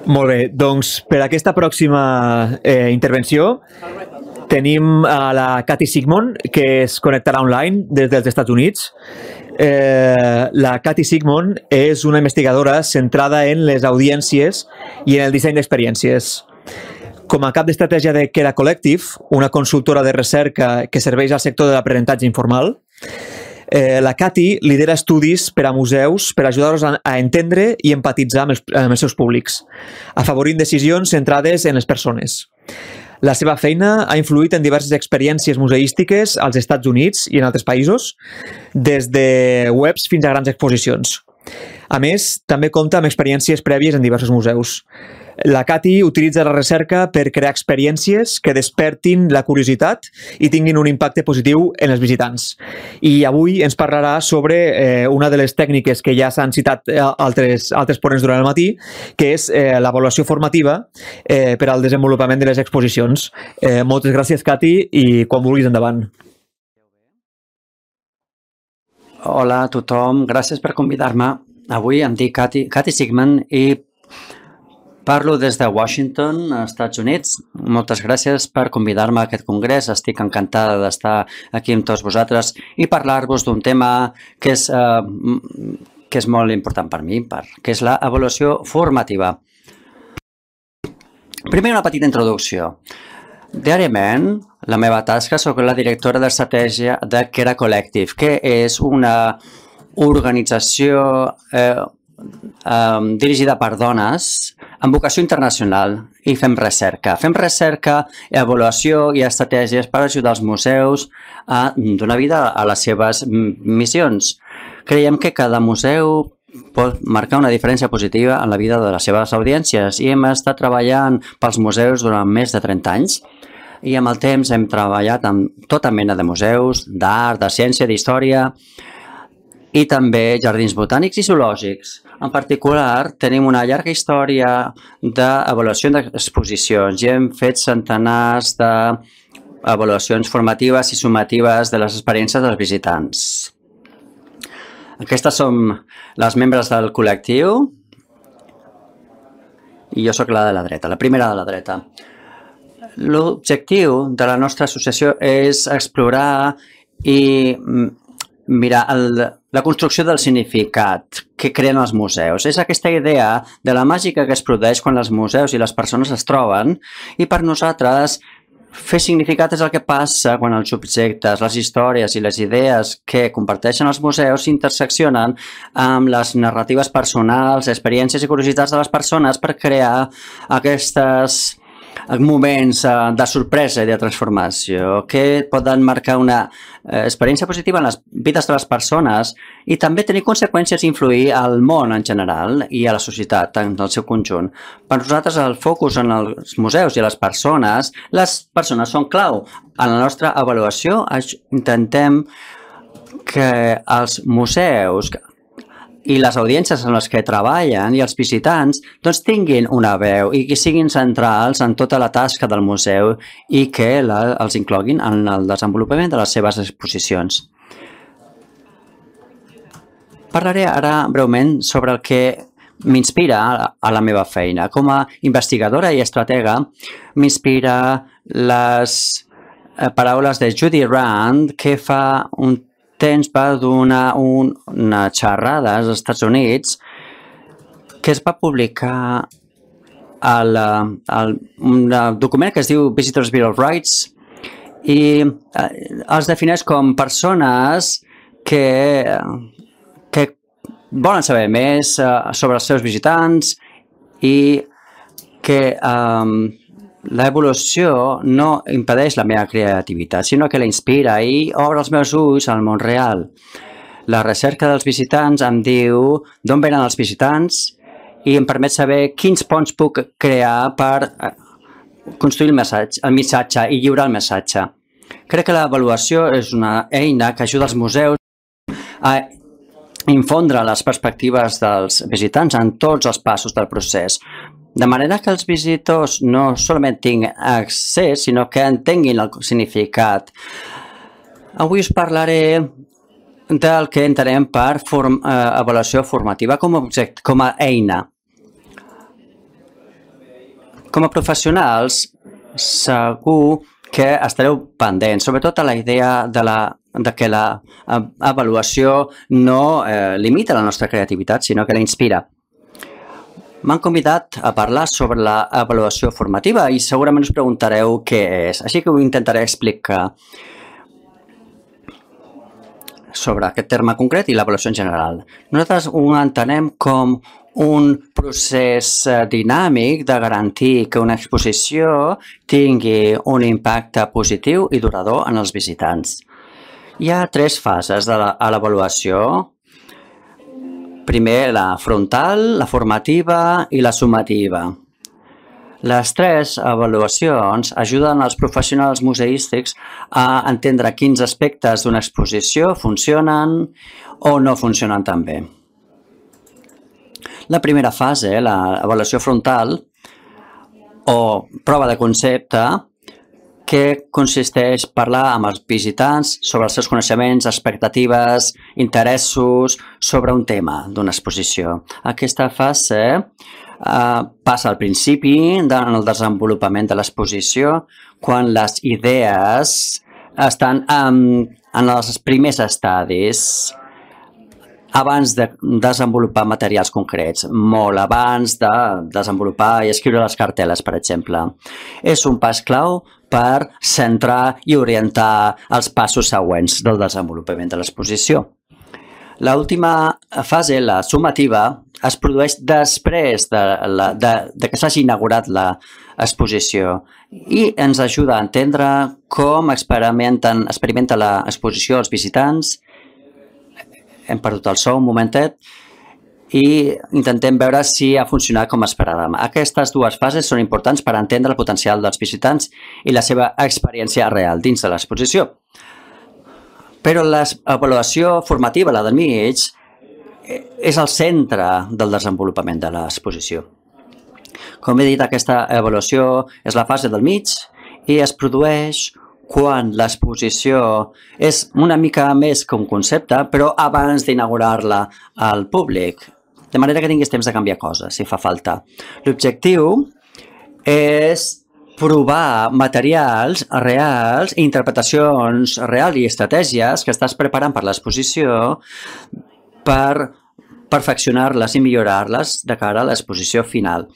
Molt bé, doncs per aquesta pròxima intervenció tenim a la Cathy Sigmund, que es connectarà online des dels Estats Units. La Cathy Sigmund és una investigadora centrada en les audiències i en el disseny d'experiències. Com a cap d'estratègia de Kera Collective, una consultora de recerca que serveix al sector de l'aprenentatge informal, la Cathy lidera estudis per a museus per ajudar-los a entendre i empatitzar amb els seus públics, afavorint decisions centrades en les persones. La seva feina ha influït en diverses experiències museístiques als Estats Units i en altres països, des de webs fins a grans exposicions. A més, també compta amb experiències prèvies en diversos museus. La Cathy utilitza la recerca per crear experiències que despertin la curiositat i tinguin un impacte positiu en els visitants. I avui ens parlarà sobre una de les tècniques que ja s'han citat altres ponents durant el matí, que és l'avaluació formativa per al desenvolupament de les exposicions. Moltes gràcies, Cathy, i quan vulguis, endavant. Hola a tothom, gràcies per convidar-me. Avui em dic Cathy Sigmund i parlo des de Washington, als Estats Units. Moltes gràcies per convidar-me a aquest congrés. Estic encantada d'estar aquí amb tots vosaltres i parlar-vos d'un tema que és molt important per mi, que és l'avaluació formativa. Primer, una petita introducció. Diàriament, la meva tasca, soc la directora d'estratègia de Kera Collective, que és una organització dirigida per dones amb vocació internacional i fem recerca. Fem recerca, avaluació i estratègies per ajudar els museus a donar vida a les seves missions. Creiem que cada museu pot marcar una diferència positiva en la vida de les seves audiències i hem estat treballant pels museus durant més de 30 anys i amb el temps hem treballat amb tota mena de museus, d'art, de ciència, d'història i també jardins botànics i zoològics. En particular, tenim una llarga història d'avaluació d'exposicions i hem fet centenars d'avaluacions formatives i sumatives de les experiències dels visitants. Aquestes som les membres del col·lectiu i jo sóc la de la dreta, la primera de la dreta. L'objectiu de la nostra associació és explorar i mirar la construcció del significat que creen els museus. És aquesta idea de la màgica que es produeix quan els museus i les persones es troben i per nosaltres fer significat és el que passa quan els objectes, les històries i les idees que comparteixen els museus s'interseccionen amb les narratives personals, experiències i curiositats de les persones per crear aquests moments de sorpresa i de transformació que poden marcar una experiència positiva en les vides de les persones i també tenir conseqüències i influir al món en general i a la societat en el seu conjunt. Per nosaltres el focus en els museus i les persones són clau. En la nostra avaluació intentem que els museus i les audiències en les que treballen i els visitants doncs tinguin una veu i que siguin centrals en tota la tasca del museu i que els incloguin en el desenvolupament de les seves exposicions. Parlaré ara breument sobre el que m'inspira a la meva feina. Com a investigadora i estratega m'inspira les paraules de Judy Rand, que fa un temps va donar una xerrada als Estats Units que es va publicar un document que es diu Visitors Bill of Rights i els defineix com persones que volen saber més sobre els seus visitants i que l'evolució no impedeix la meva creativitat, sinó que la inspira i obre els meus ulls al món real. La recerca dels visitants em diu d'on venen els visitants i em permet saber quins ponts puc crear per construir el missatge i lliurar el missatge. Crec que l'avaluació és una eina que ajuda els museus a infondre les perspectives dels visitants en tots els passos del procés. De manera que els visitors no solament tinguin accés, sinó que entenguin el significat. Avui us parlaré del que entenem per avaluació formativa com a eina. Com a professionals, segur que estareu pendents, sobretot a la idea de que l'avaluació no limita la nostra creativitat, sinó que la inspira. M'han convidat a parlar sobre l'avaluació formativa i segurament us preguntareu què és, així que ho intentaré explicar sobre aquest terme concret i l'avaluació en general. Nosaltres ho entenem com un procés dinàmic de garantir que una exposició tingui un impacte positiu i durador en els visitants. Hi ha 3 fases a l'avaluació. Primer, la frontal, la formativa i la sumativa. Les 3 avaluacions ajuden als professionals museístics a entendre quins aspectes d'una exposició funcionen o no funcionen tan bé. La primera fase, l'avaluació frontal o prova de concepte, que consisteix en parlar amb els visitants sobre els seus coneixements, expectatives, interessos sobre un tema d'una exposició. Aquesta fase passa al principi en el desenvolupament de l'exposició, quan les idees estan en els primers estadis, abans de desenvolupar materials concrets, molt abans de desenvolupar i escriure les cartel·les, per exemple. És un pas clau per centrar i orientar els passos següents del desenvolupament de l'exposició. L'última fase, la sumativa, es produeix després de que s'hagi inaugurat l'exposició i ens ajuda a entendre com experimenta l'exposició els visitants. Hem perdut el so un momentet i intentem veure si ha funcionat com esperàvem. Aquestes 2 fases són importants per entendre el potencial dels visitants i la seva experiència real dins de l'exposició. Però l'avaluació formativa, la del mig, és el centre del desenvolupament de l'exposició. Com he dit, aquesta avaluació és la fase del mig i es produeix quan l'exposició és una mica més que un concepte, però abans d'inaugurar-la al públic, de manera que tinguis temps de canviar coses, si fa falta. L'objectiu és provar materials reals, interpretacions reals i estratègies que estàs preparant per l'exposició per perfeccionar-les i millorar-les de cara a l'exposició final.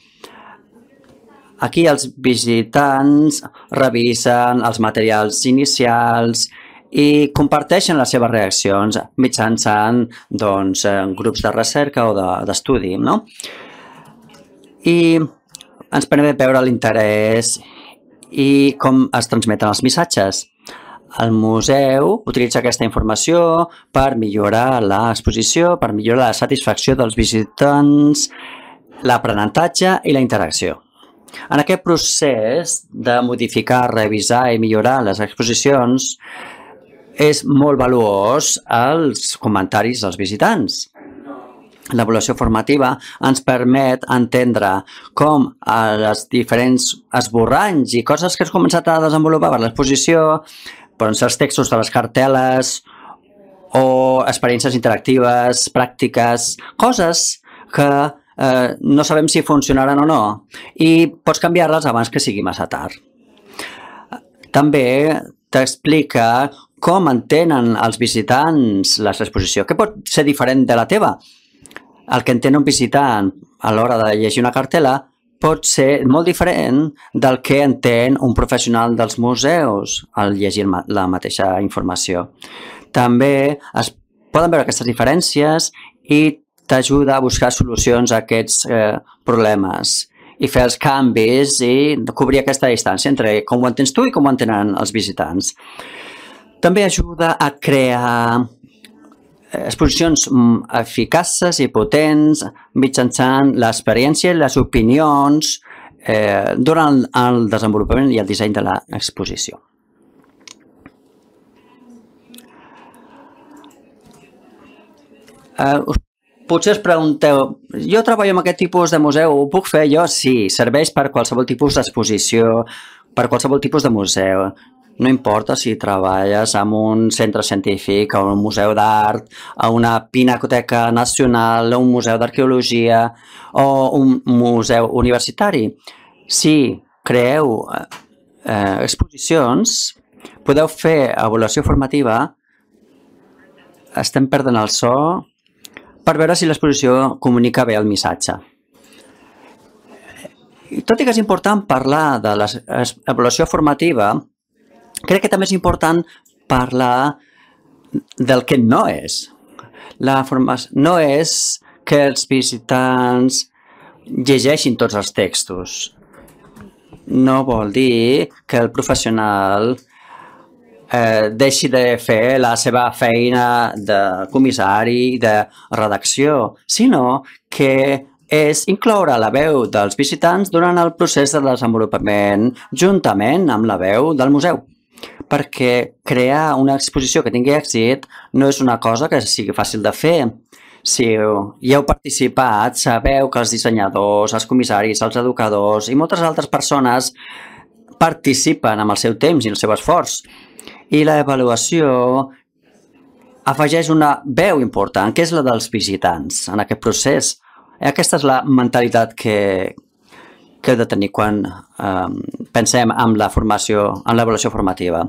Aquí els visitants revisen els materials inicials i comparteixen les seves reaccions mitjançant grups de recerca o d'estudi, no? I ens permet veure l'interès i com es transmeten els missatges. El museu utilitza aquesta informació per millorar l'exposició, per millorar la satisfacció dels visitants, l'aprenentatge i la interacció. En aquest procés de modificar, revisar i millorar les exposicions és molt valuós els comentaris dels visitants. L'avaluació formativa ens permet entendre com els diferents esborranys i coses que has començat a desenvolupar per l'exposició, poden ser els textos de les cartel·les o experiències interactives, pràctiques, coses que no sabem si funcionaran o no i pots canviar-les abans que sigui massa tard. També t'explica com entenen els visitants l'exposició, que pot ser diferent de la teva. El que entén un visitant a l'hora de llegir una cartel·la pot ser molt diferent del que entén un professional dels museus al llegir la mateixa informació. També es poden veure aquestes diferències i t'ajuda a buscar solucions a aquests problemes i fer els canvis i cobrir aquesta distància entre com ho entens tu i com ho entenen els visitants. També ajuda a crear exposicions eficaces i potents mitjançant l'experiència i les opinions durant el desenvolupament i el disseny de l'exposició. Potser es pregunteu, jo treballo en aquest tipus de museu, ho puc fer jo? Sí, serveix per qualsevol tipus d'exposició, per qualsevol tipus de museu. No importa si treballes en un centre científic, a un museu d'art, a una pinacoteca nacional, a un museu d'arqueologia o un museu universitari. Si creeu exposicions, podeu fer avaluació formativa, estem perdent el so, per veure si l'exposició comunica bé el missatge. Tot i que és important parlar de l'avaluació formativa, crec que també és important parlar del que no és. La formació no és que els visitants llegeixin tots els textos. No vol dir que el professional deixi de fer la seva feina de comissari, de redacció, sinó que és incloure la veu dels visitants durant el procés de desenvolupament juntament amb la veu del museu. Perquè crear una exposició que tingui èxit no és una cosa que sigui fàcil de fer. Si hi heu participat, sabeu que els dissenyadors, els comissaris, els educadors i moltes altres persones participen amb el seu temps i el seu esforç. I l'avaluació afegeix una veu important, que és la dels visitants en aquest procés. Aquesta és la mentalitat que heu de tenir quan pensem en la formació, en l'avaluació formativa.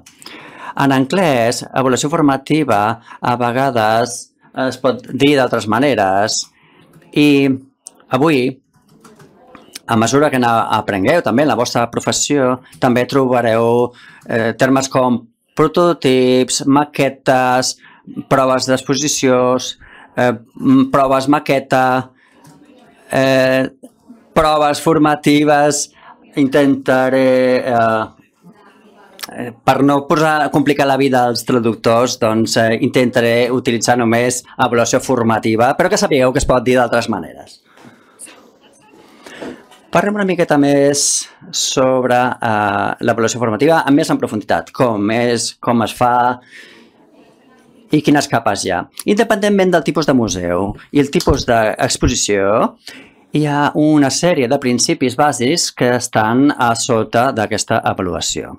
En anglès, avaluació formativa a vegades es pot dir d'altres maneres i avui, a mesura que aprengueu també en la vostra professió, també trobareu termes com prototips, maquetes, proves d'exposicions, proves maqueta, proves formatives. Intentaré, per no complicar la vida als traductors, doncs intentaré utilitzar només avaluació formativa, però que sapigueu que es pot dir d'altres maneres. Parlem una miqueta més sobre l'avaluació formativa, més en profunditat, com es fa i quines capes hi ha. Independentment del tipus de museu i el tipus d'exposició, hi ha una sèrie de principis bàsics que estan a sota d'aquesta avaluació.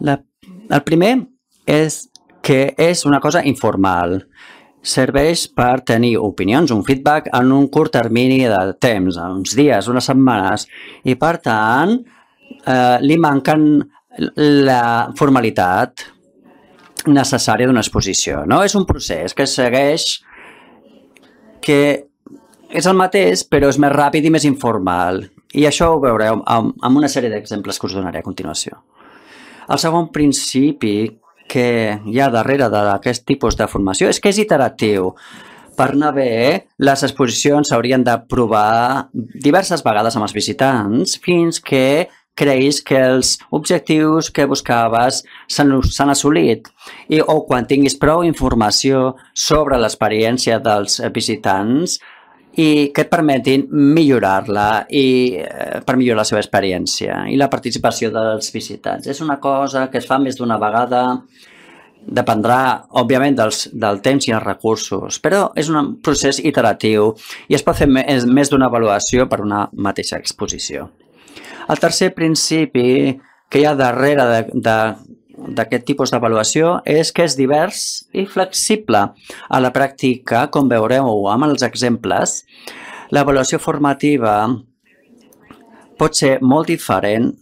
El primer és que és una cosa informal. Serveix per tenir opinions, un feedback en un curt termini de temps, uns dies, unes setmanes, i per tant li manquen la formalitat necessària d'una exposició. No és un procés que segueix, que és el mateix, però és més ràpid i més informal. I això ho veureu amb una sèrie d'exemples que us donaré a continuació. El segon principi que hi ha darrere d'aquest tipus de formació és que és iteratiu. Per anar bé, les exposicions s'haurien de provar diverses vegades amb els visitants fins que creguis que els objectius que buscaves s'han assolit o quan tinguis prou informació sobre l'experiència dels visitants i que et permetin millorar-la i per millorar la seva experiència i la participació dels visitants. És una cosa que es fa més d'una vegada, dependrà, òbviament, del temps i els recursos, però és un procés iteratiu i es pot fer més d'una avaluació per una mateixa exposició. El tercer principi que hi ha darrere d'aquest tipus d'avaluació és que és divers i flexible. A la pràctica, com veureu amb els exemples, l'avaluació formativa pot ser molt diferent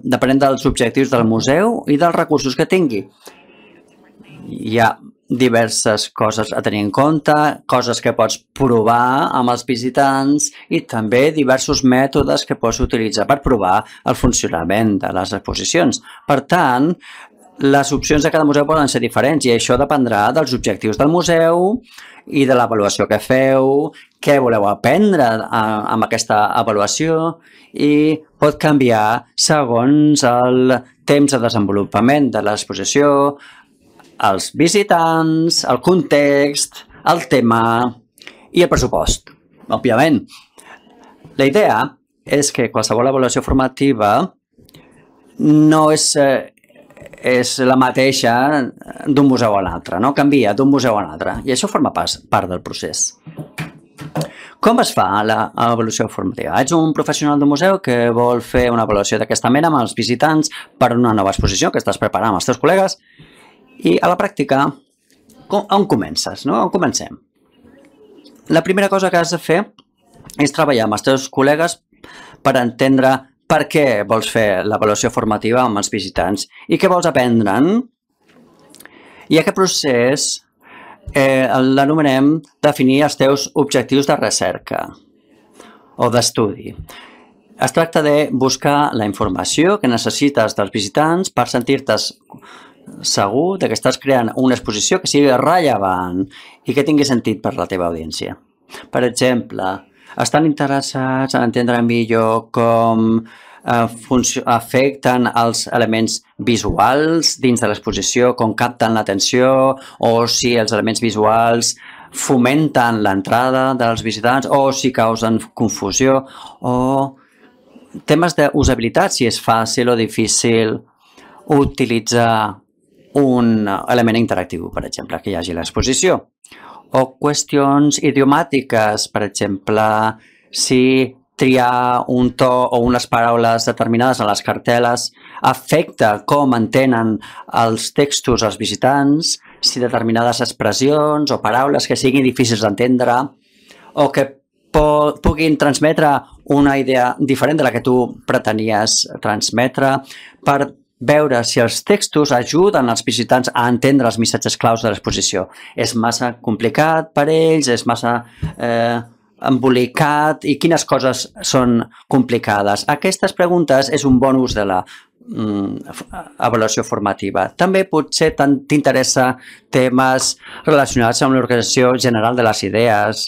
depenent dels objectius del museu i dels recursos que tingui. Hi ha diverses coses a tenir en compte, coses que pots provar amb els visitants i també diversos mètodes que pots utilitzar per provar el funcionament de les exposicions. Per tant, les opcions de cada museu poden ser diferents i això dependrà dels objectius del museu i de l'avaluació que feu, què voleu aprendre amb aquesta avaluació i pot canviar segons el temps de desenvolupament de l'exposició, els visitants, el context, el tema i el pressupost, òbviament. La idea és que qualsevol avaluació formativa no és la mateixa d'un museu a l'altre, no? Canvia d'un museu a l'altre i això forma part del procés. Com es fa l'avaluació formativa? Ets un professional d'un museu que vol fer una avaluació d'aquesta mena amb els visitants per una nova exposició que estàs preparant amb els teus col·legues i a la pràctica, on comences? On comencem? La primera cosa que has de fer és treballar amb els teus col·legues per entendre per què vols fer l'avaluació formativa amb els visitants i què vols aprendre'n. I aquest procés l'anomenem definir els teus objectius de recerca o d'estudi. Es tracta de buscar la informació que necessites dels visitants per sentir-te segur que estàs creant una exposició que sigui rellevant i que tingui sentit per la teva audiència. Per exemple, estan interessats en entendre millor com afecten els elements visuals dins de l'exposició, com capten l'atenció, o si els elements visuals fomenten l'entrada dels visitants, o si causen confusió, o temes d'usabilitat, si és fàcil o difícil utilitzar un element interactiu, per exemple, que hi hagi a l'exposició. O qüestions idiomàtiques, per exemple, si triar un to o unes paraules determinades a les cartel·les afecta com entenen els textos als visitants, si determinades expressions o paraules que siguin difícils d'entendre o que puguin transmetre una idea diferent de la que tu pretenies transmetre, per veure si els textos ajuden els visitants a entendre els missatges claus de l'exposició. És massa complicat per ells, és massa embolicat i quines coses són complicades. Aquestes preguntes és un bon ús de la avaluació formativa. També potser t'interessa temes relacionats amb l'organització general de les idees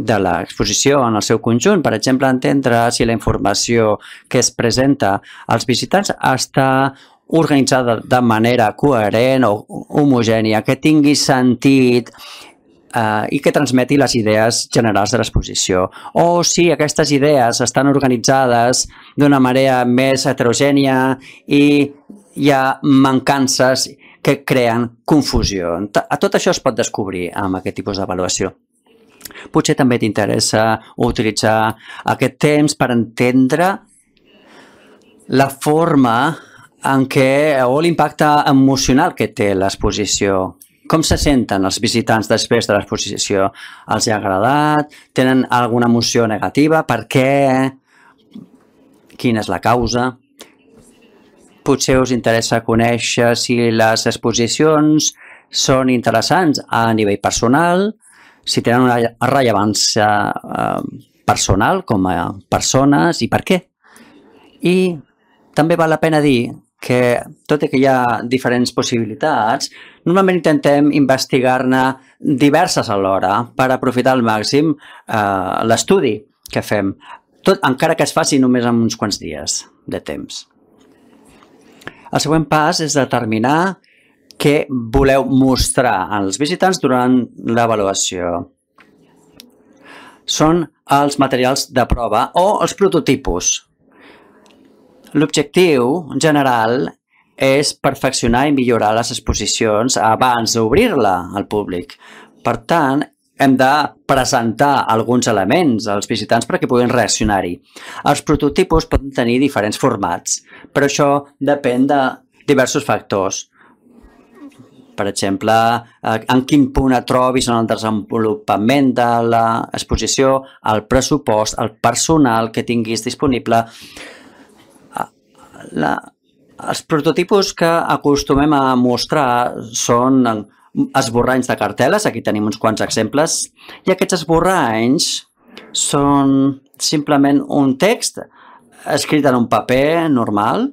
de l'exposició en el seu conjunt. Per exemple, entendre si la informació que es presenta als visitants està organitzada de manera coherent o homogènia, que tingui sentit i que transmeti les idees generals de l'exposició. O si aquestes idees estan organitzades d'una manera més heterogènia i hi ha mancances que creen confusió. Tot això es pot descobrir amb aquest tipus d'avaluació. Potser també t'interessa utilitzar aquest temps per entendre la forma en què, o l'impacte emocional que té l'exposició. Com se senten els visitants després de l'exposició? Els ha agradat? Tenen alguna emoció negativa? Per què? Quina és la causa? Potser us interessa conèixer si les exposicions són interessants a nivell personal, si tenen una rellevància personal com a persones i per què. I també val la pena dir que, tot i que hi ha diferents possibilitats, normalment intentem investigar-ne diverses alhora per aprofitar al màxim l'estudi que fem, encara que es faci només en uns quants dies de temps. El següent pas és determinar què voleu mostrar als visitants durant l'avaluació. Són els materials de prova o els prototipus. L'objectiu general és perfeccionar i millorar les exposicions abans d'obrir-la al públic. Per tant, hem de presentar alguns elements als visitants perquè puguin reaccionar-hi. Els prototipus poden tenir diferents formats, però això depèn de diversos factors. Per exemple, en quin punt et trobis en el desenvolupament de l'exposició, el pressupost, el personal que tinguis disponible. Els prototipos que acostumem a mostrar són esborranys de cartel·les, aquí tenim uns quants exemples, i aquests esborranys són simplement un text escrit en un paper normal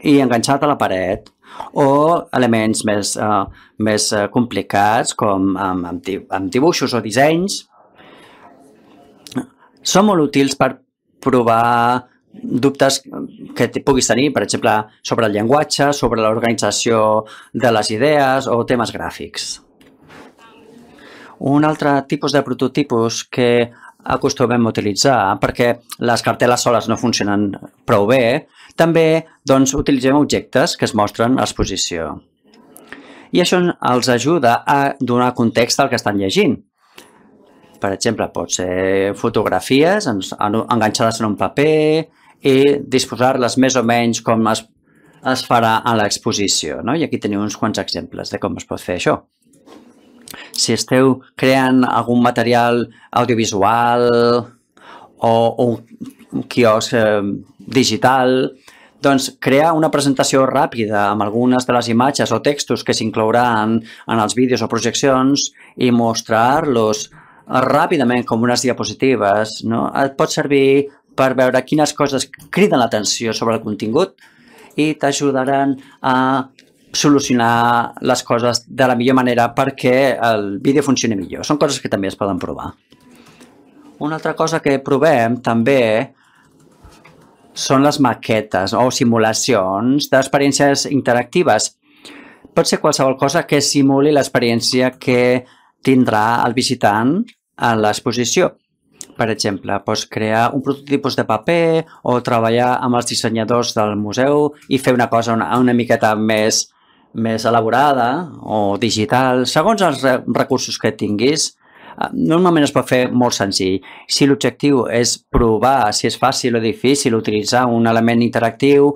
i enganxat a la paret, o elements més complicats com amb dibuixos o dissenys. Són molt útils per provar dubtes que puguis tenir, per exemple, sobre el llenguatge, sobre l'organització de les idees o temes gràfics. Un altre tipus de prototipus que acostumem a utilitzar, perquè les cartel·les soles no funcionen prou bé, també utilitzem objectes que es mostren a l'exposició. I això els ajuda a donar context al que estan llegint. Per exemple, pot ser fotografies enganxades en un paper i disposar-les més o menys com es farà a l'exposició. I aquí teniu uns quants exemples de com es pot fer això. Si esteu creant algun material audiovisual o quiosc digital, doncs crear una presentació ràpida amb algunes de les imatges o textos que s'inclouran en els vídeos o projeccions i mostrar-los ràpidament com unes diapositives, no? Et pot servir per veure quines coses criden l'atenció sobre el contingut i t'ajudaran a solucionar les coses de la millor manera perquè el vídeo funcioni millor. Són coses que també es poden provar. Una altra cosa que provem també són les maquetes o simulacions d'experiències interactives. Pot ser qualsevol cosa que simuli l'experiència que tindrà el visitant a l'exposició. Per exemple, pots crear un prototipus de paper o treballar amb els dissenyadors del museu i fer una cosa una miqueta més elaborada o digital, segons els recursos que tinguis. Normalment es pot fer molt senzill. Si l'objectiu és provar si és fàcil o difícil utilitzar un element interactiu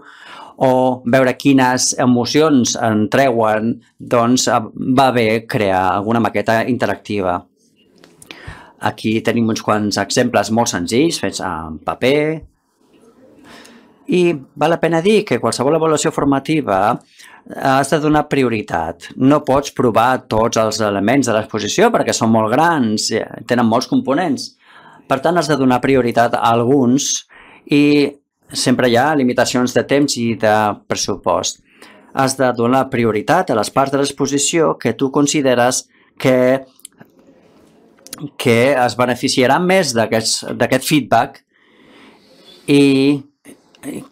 o veure quines emocions en treuen, doncs va bé crear alguna maqueta interactiva. Aquí tenim uns quants exemples molt senzills fets en paper i val la pena dir que qualsevol avaluació formativa has de donar prioritat. No pots provar tots els elements de l'exposició perquè són molt grans, tenen molts components. Per tant, has de donar prioritat a alguns i sempre hi ha limitacions de temps i de pressupost. Has de donar prioritat a les parts de l'exposició que tu consideres que es beneficiaran més d'aquest feedback i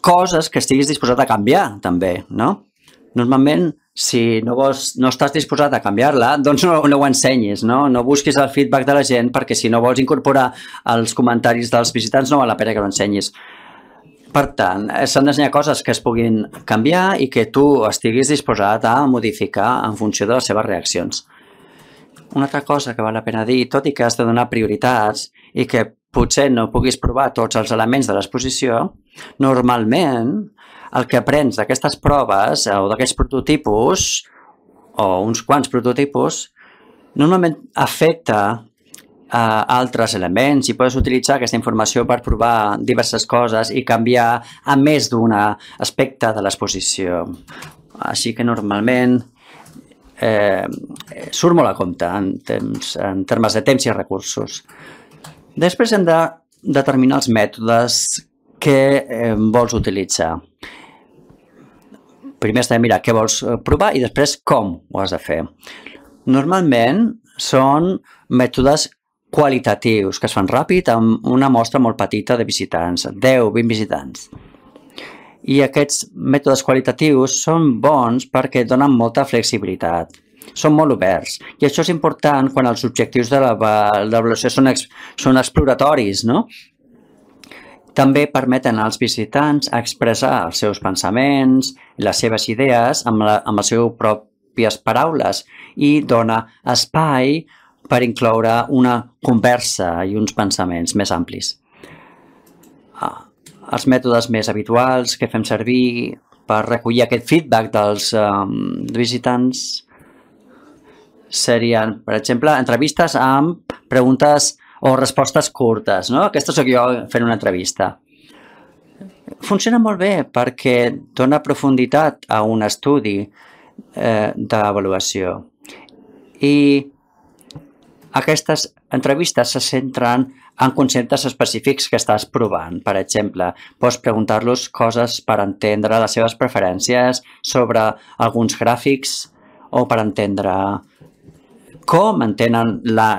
coses que estiguis disposat a canviar, també, no? Normalment, si no estàs disposat a canviar-la, doncs no ho ensenyis, no? No busquis el feedback de la gent perquè si no vols incorporar els comentaris dels visitants no val la pena que ho ensenyis. Per tant, s'han d'ensenyar coses que es puguin canviar i que tu estiguis disposat a modificar en funció de les seves reaccions. Una altra cosa que val la pena dir, tot i que has de donar prioritats i que potser no puguis provar tots els elements de l'exposició, normalment el que aprens d'aquestes proves o d'aquests prototipus o uns quants prototipus normalment afecta a altres elements i pots utilitzar aquesta informació per provar diverses coses i canviar a més d'un aspecte de l'exposició. Així que normalment surt molt a compte en termes de temps i recursos. Després hem de determinar els mètodes que vols utilitzar. Primer has de mirar què vols provar i després com ho has de fer. Normalment són mètodes qualitatius que es fan ràpid amb una mostra molt petita de visitants, 10-20 visitants. I aquests mètodes qualitatius són bons perquè donen molta flexibilitat. Són molt oberts. I això és important quan els objectius de l'avaluació són exploratoris, no? També permeten als visitants expressar els seus pensaments, les seves idees amb les seves pròpies paraules i dona espai per incloure una conversa i uns pensaments més amplis. Els mètodes més habituals que fem servir per recollir aquest feedback dels visitants serien, per exemple, entrevistes amb preguntes o respostes curtes, no? Aquesta sóc jo fent una entrevista. Funciona molt bé perquè dona profunditat a un estudi d'avaluació. I aquestes entrevistes se centren en conceptes específics que estàs provant. Per exemple, pots preguntar-los coses per entendre les seves preferències sobre alguns gràfics o per entendre com entenen la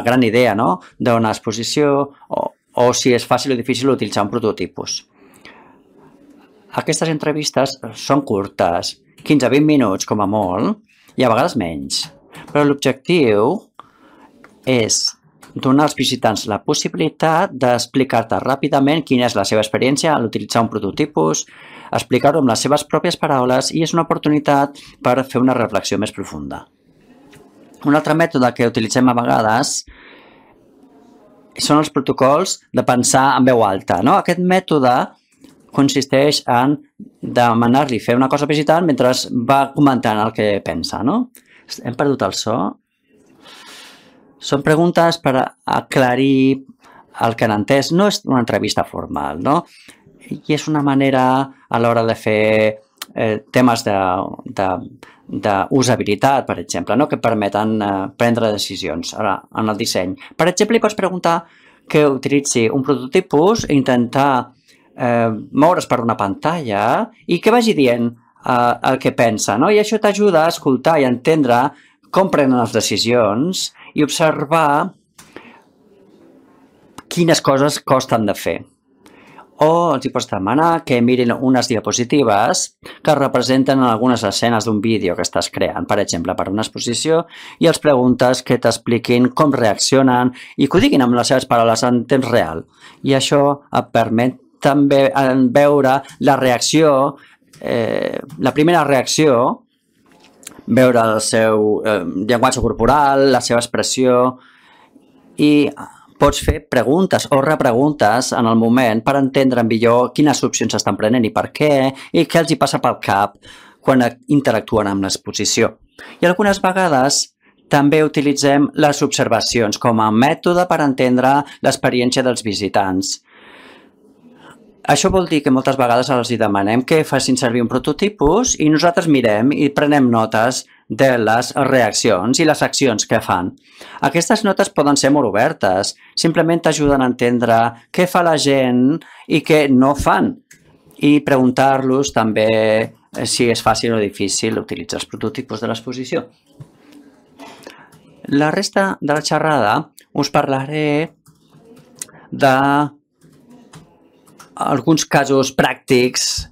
gran idea, no? D'una exposició o si és fàcil o difícil utilitzar un prototipus. Aquestes entrevistes són curtes, 15-20 minuts com a molt, i a vegades menys. Però l'objectiu és donar als visitants la possibilitat d'explicar-te ràpidament quina és la seva experiència a l'utilitzar un prototipus, explicar-ho amb les seves pròpies paraules i és una oportunitat per fer una reflexió més profunda. Un altre mètode que utilitzem a vegades són els protocols de pensar en veu alta, no? Aquest mètode consisteix en demanar-li fer una cosa visitant mentre va comentant el que pensa, no? Hem perdut el so. Són preguntes per aclarir el que han entès no és una entrevista formal, no? I és una manera a l'hora de fer temes d'usabilitat, per exemple, no? Que permeten prendre decisions en el disseny. Per exemple, li pots preguntar que utilitzi un prototipus i intentar moure's per una pantalla i que vagi dient el que pensa, no? I això t'ajuda a escoltar i a entendre com prenen les decisions i observar quines coses costen de fer. O els hi pots demanar que mirin unes diapositives que representen algunes escenes d'un vídeo que estàs creant, per exemple, per una exposició, i els preguntes que t'expliquin com reaccionen i que ho diguin amb les seves paraules en temps real. I això et permet també veure la reacció, la primera reacció, veure el seu llenguatge corporal, la seva expressió, i pots fer preguntes o repreguntes en el moment per entendre millor quines opcions estan prenent i per què, i què els hi passa pel cap quan interactuen amb l'exposició. I algunes vegades també utilitzem les observacions com a mètode per entendre l'experiència dels visitants. Això vol dir que moltes vegades els demanem que facin servir un prototipus i nosaltres mirem i prenem notes de les reaccions i les accions que fan. Aquestes notes poden ser molt obertes, simplement t'ajuden a entendre què fa la gent i què no fan, i preguntar-los també si és fàcil o difícil utilitzar els prototipus de l'exposició. La resta de la xerrada us parlaré d'alguns casos pràctics,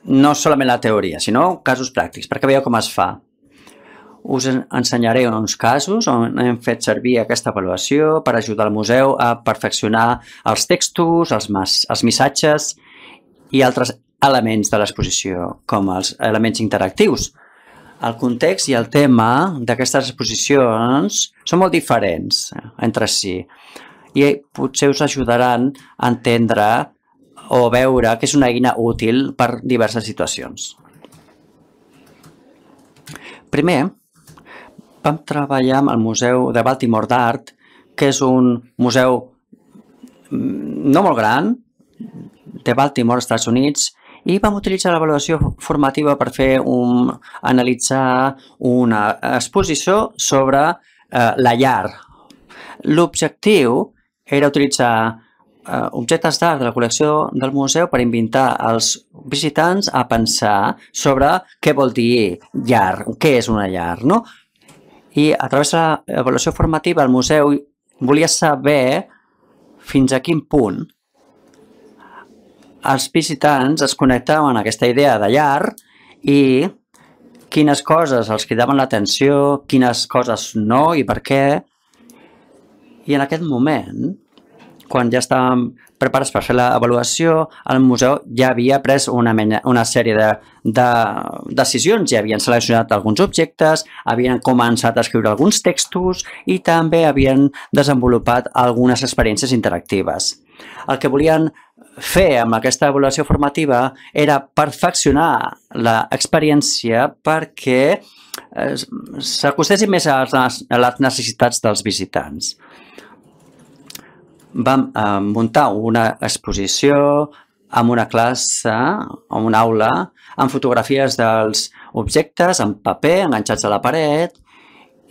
no solament la teoria, sinó casos pràctics, perquè veieu com es fa. Us ensenyaré uns casos on hem fet servir aquesta avaluació per ajudar el museu a perfeccionar els textos, els missatges i altres elements de l'exposició, com els elements interactius. El context i el tema d'aquestes exposicions són molt diferents entre si i potser us ajudaran a entendre o veure que és una eina útil per diverses situacions. Primer, vam treballar amb el Museu de Baltimore d'Art, que és un museu no molt gran de Baltimore, Estats Units, i vam utilitzar l'avaluació formativa per analitzar una exposició sobre la llar. L'objectiu era utilitzar objectes d'art de la col·lecció del museu per invitar els visitants a pensar sobre què vol dir llar, què és una llar, no? I a través de l'avaluació formativa el museu volia saber fins a quin punt els visitants es connectaven amb aquesta idea de llar i quines coses els cridaven l'atenció, quines coses no i per què. I en aquest moment, quan ja estàvem preparats per fer l'avaluació, el museu ja havia pres una sèrie de decisions, ja havien seleccionat alguns objectes, havien començat a escriure alguns textos i també havien desenvolupat algunes experiències interactives. El que volien fer amb aquesta avaluació formativa era perfeccionar l'experiència perquè s'acostessin més a les necessitats dels visitants. Vam muntar una exposició amb una classe, amb una aula, amb fotografies dels objectes en paper enganxats a la paret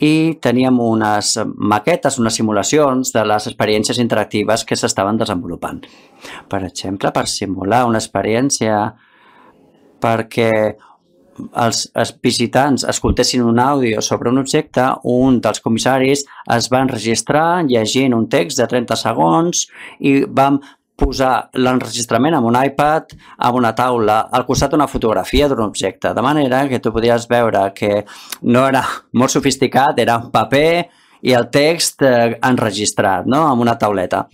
i teníem unes maquetes, unes simulacions de les experiències interactives que s'estaven desenvolupant. Per exemple, per simular una experiència perquè els visitants escoltessin un àudio sobre un objecte, un dels comissaris es va enregistrar llegint un text de 30 segons i vam posar l'enregistrament amb un iPad amb una taula al costat d'una fotografia d'un objecte, de manera que tu podies veure que no era molt sofisticat, era un paper i el text enregistrat, no? Amb una tauleta.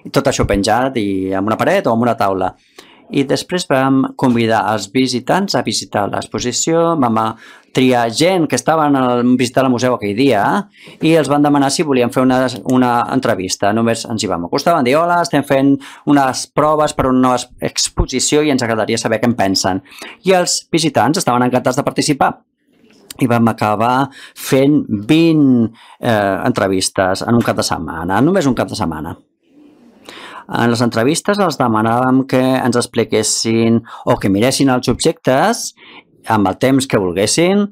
I tot això penjat i amb una paret o amb una taula. I després vam convidar els visitants a visitar l'exposició, vam triar gent que estaven visitant el museu aquell dia i els van demanar si volien fer una entrevista. Només ens hi vam acostar, van dir hola, estem fent unes proves per una nova exposició i ens agradaria saber què en pensen. I els visitants estaven encantats de participar. i vam acabar fent 20 entrevistes en un cap de setmana, només un cap de setmana. En les entrevistes els demanàvem que ens expliquessin o que miressin els objectes amb el temps que volguessin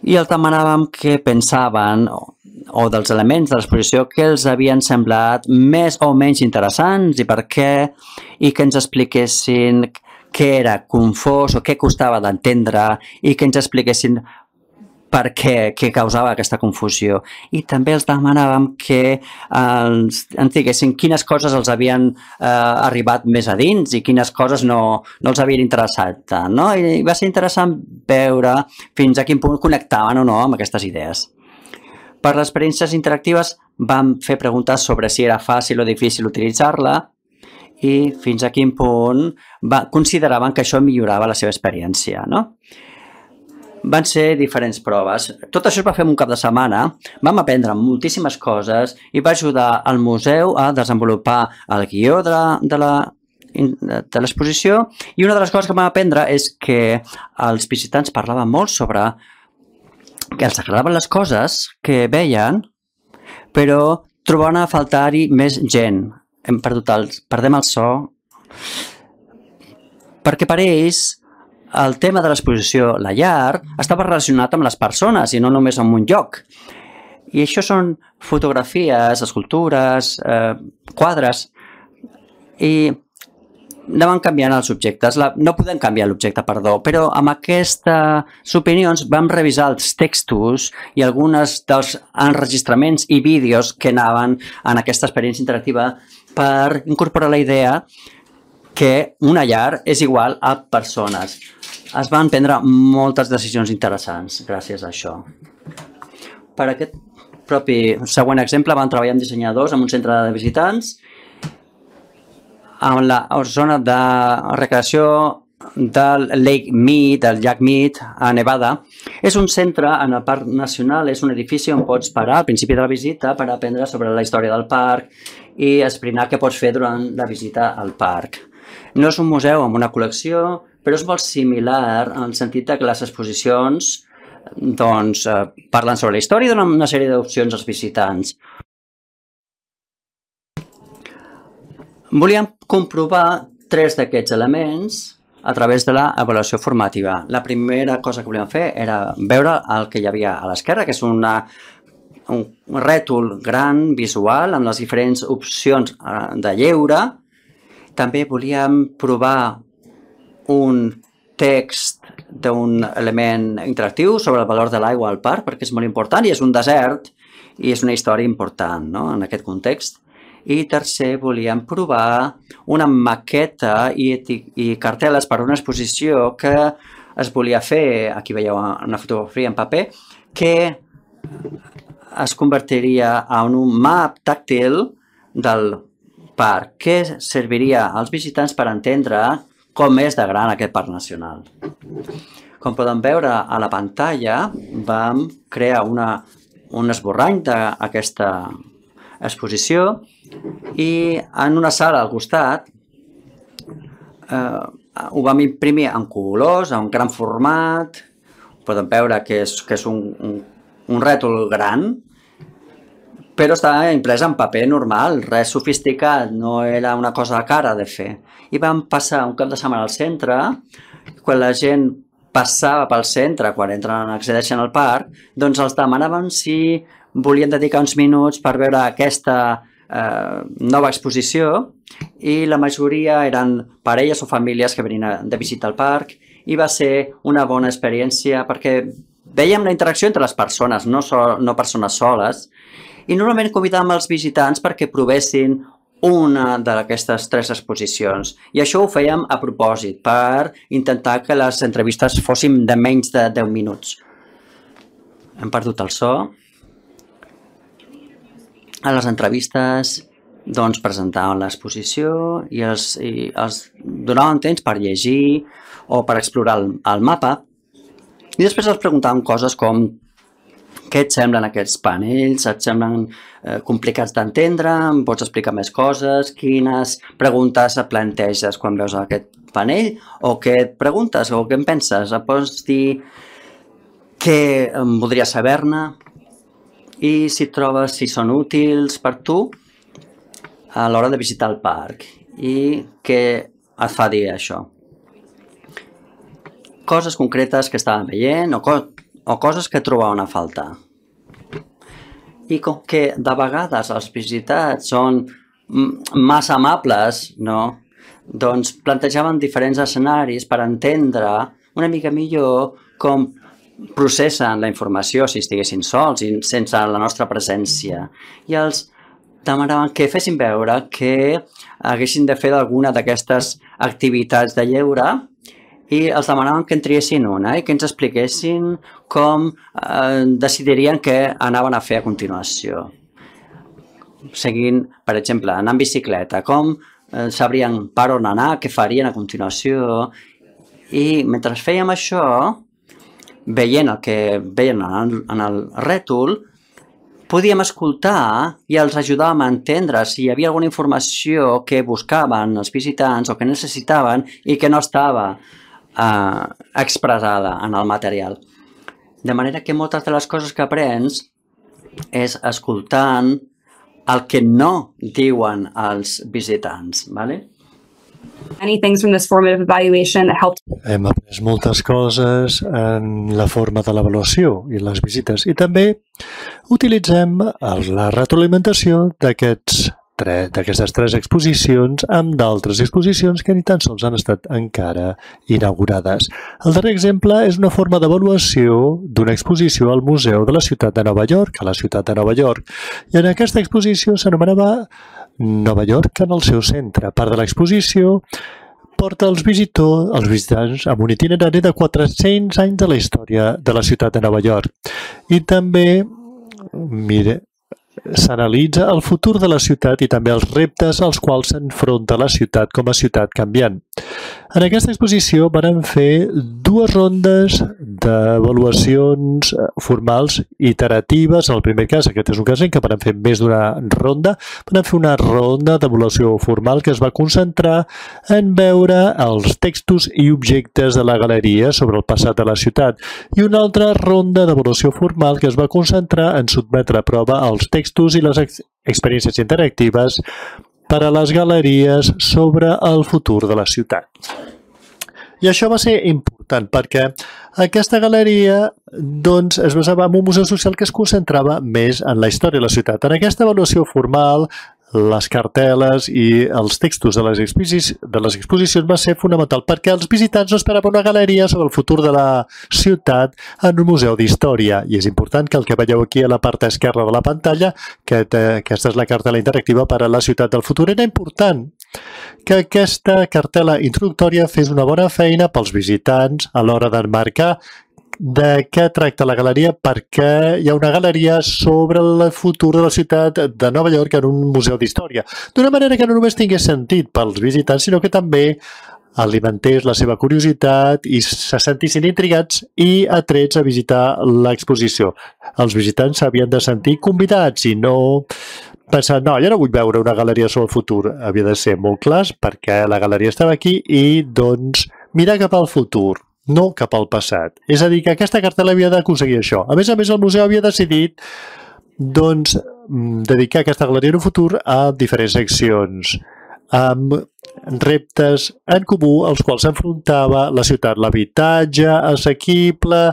i els demanàvem que pensaven o dels elements de l'exposició que els havien semblat més o menys interessants i per què, i que ens expliquessin què era confós o què costava d'entendre i que ens expliquessin per què causava aquesta confusió. I també els demanàvem que ens diguessin quines coses els havien arribat més a dins i quines coses no els havien interessat tant, no? I va ser interessant veure fins a quin punt connectaven o no amb aquestes idees. Per les experiències interactives vam fer preguntes sobre si era fàcil o difícil utilitzar-la i fins a quin punt consideraven que això millorava la seva experiència, no? Van ser diferents proves. Tot això es va fer en un cap de setmana, vam aprendre moltíssimes coses i va ajudar al museu a desenvolupar el guió de l'exposició, i una de les coses que vam aprendre és que els visitants parlaven molt sobre que els agradaven les coses que veien, però trobaven a faltar-hi més gent. Perdem el so, perquè per ells el tema de l'exposició, la llar, estava relacionat amb les persones i no només amb un lloc. I això són fotografies, escultures, quadres, i anaven canviant els objectes. No podem canviar l'objecte, perdó, però amb aquestes opinions vam revisar els textos i alguns dels enregistraments i vídeos que anaven en aquesta experiència interactiva per incorporar la idea que una llar és igual a persones. Es van prendre moltes decisions interessants gràcies a això. Per aquest propi següent exemple vam treballar amb dissenyadors en un centre de visitants en la zona de recreació del Lake Mead, del llac Mead, a Nevada. És un centre en el Parc Nacional, és un edifici on pots parar al principi de la visita per aprendre sobre la història del parc i esbrinar què pots fer durant la visita al parc. No és un museu amb una col·lecció, però és molt similar en el sentit que les exposicions parlen sobre la història i donen una sèrie d'opcions als visitants. Volíem comprovar 3 d'aquests elements a través de l'avaluació formativa. La primera cosa que volíem fer era veure el que hi havia a l'esquerra, que és un rètol gran, visual, amb les diferents opcions de lleure. També volíem provar un text d'un element interactiu sobre el valor de l'aigua al parc, perquè és molt important i és un desert i és una història important, no?, en aquest context. I tercer, volíem provar una maqueta i cartel·les per a una exposició que es volia fer, aquí veieu una fotografia en paper, que es convertiria en un map tàctil del parc, que serviria als visitants per entendre com és de gran aquest parc nacional. Com poden veure a la pantalla, vam crear un esborrany d'aquesta exposició i en una sala al costat ho vam imprimir en colors, en un gran format. Poden veure que és un rètol gran, però està imprès en paper normal, res sofisticat, no era una cosa cara de fer. I vam passar un cap de setmana al centre, quan la gent passava pel centre, quan accedeixen al parc, doncs els demanàvem si volien dedicar uns minuts per veure aquesta nova exposició, i la majoria eren parelles o famílies que venien de visita al parc, i va ser una bona experiència perquè veiem la interacció entre les persones, no persones soles, i normalment convidàvem els visitants perquè provessin una d'aquestes 3 exposicions. I això ho fèiem a propòsit, per intentar que les entrevistes fossin de menys de 10 minuts. Hem perdut el so. A les entrevistes doncs, presentaven l'exposició i els donaven temps per llegir o per explorar el mapa. I després els preguntaven coses com: què et semblen aquests panells? Et semblen complicats d'entendre? Em pots explicar més coses? Quines preguntes et planteges quan veus aquest panell? O què et preguntes? O què en penses? Et pots dir què voldries saber-ne i si trobes si són útils per tu a l'hora de visitar el parc i què et fa dir això. Coses concretes que estaven veient o coses que trobaven a faltar. I com que de vegades els visitats són massa amables, no? Doncs plantejaven diferents escenaris per entendre una mica millor com processen la informació si estiguessin sols i sense la nostra presència. I els demanaven que fessin veure que haguessin de fer alguna d'aquestes activitats de lleure i els demanaven que en triessin una i que ens expliquessin com decidirien què anaven a fer a continuació. Seguint, per exemple, anar en bicicleta, com sabrien per on anar, què farien a continuació. I mentre fèiem això, veient el que veien en el rètol, podíem escoltar i els ajudàvem a entendre si hi havia alguna informació que buscaven els visitants o que necessitaven i que no estava expressada en el material. De manera que moltes de les coses que aprens és escoltant el que no diuen els visitants, ¿vale? Many things from this formative evaluation that helped. Hem après moltes coses en la forma de l'avaluació i les visites i també utilitzem la retroalimentació d'aquestes 3 exposicions amb d'altres exposicions que ni tan sols han estat encara inaugurades. El darrer exemple és una forma d'avaluació d'una exposició al Museu de la Ciutat de Nova York, a la ciutat de Nova York. I en aquesta exposició s'anomenava Nova York en el seu centre. Part de l'exposició porta els visitants amb un itinerari de 400 anys de la història de la ciutat de Nova York. I també, s'analitza el futur de la ciutat i també els reptes als quals s'enfronta la ciutat com a ciutat canviant. En aquesta exposició van fer 2 rondes d'avaluacions formals iteratives. En el primer cas, aquest és un cas en què van fer més d'una ronda, van fer una ronda d'avaluació formal que es va concentrar en veure els textos i objectes de la galeria sobre el passat de la ciutat i una altra ronda d'avaluació formal que es va concentrar en sotmetre a prova els textos i les experiències interactives per a les galeries sobre el futur de la ciutat. I això va ser important perquè aquesta galeria es basava en un museu social que es concentrava més en la història de la ciutat. En aquesta avaluació formal, les cartel·les i els textos de les exposicions va ser fonamental perquè els visitants no esperaven una galeria sobre el futur de la ciutat en un museu d'història. I és important que el que veieu aquí a la part esquerra de la pantalla, que aquesta és la cartel·la interactiva per a la ciutat del futur, era important que aquesta cartel·la introductòria fes una bona feina pels visitants a l'hora d'emmarcar de què tracta la galeria, perquè hi ha una galeria sobre el futur de la ciutat de Nova York en un museu d'història. D'una manera que no només tingués sentit pels visitants, sinó que també alimentés la seva curiositat i se sentissin intrigats i atrets a visitar l'exposició. Els visitants s'havien de sentir convidats i no pensar, no, jo no vull veure una galeria sobre el futur. Havia de ser molt clars perquè la galeria estava aquí i, doncs, mirar cap al futur, no cap al passat. És a dir, que aquesta cartel·la havia d'aconseguir això. A més, el museu havia decidit dedicar aquesta galeria en un futur a diferents seccions, amb reptes en comú als quals s'enfrontava la ciutat. L'habitatge assequible,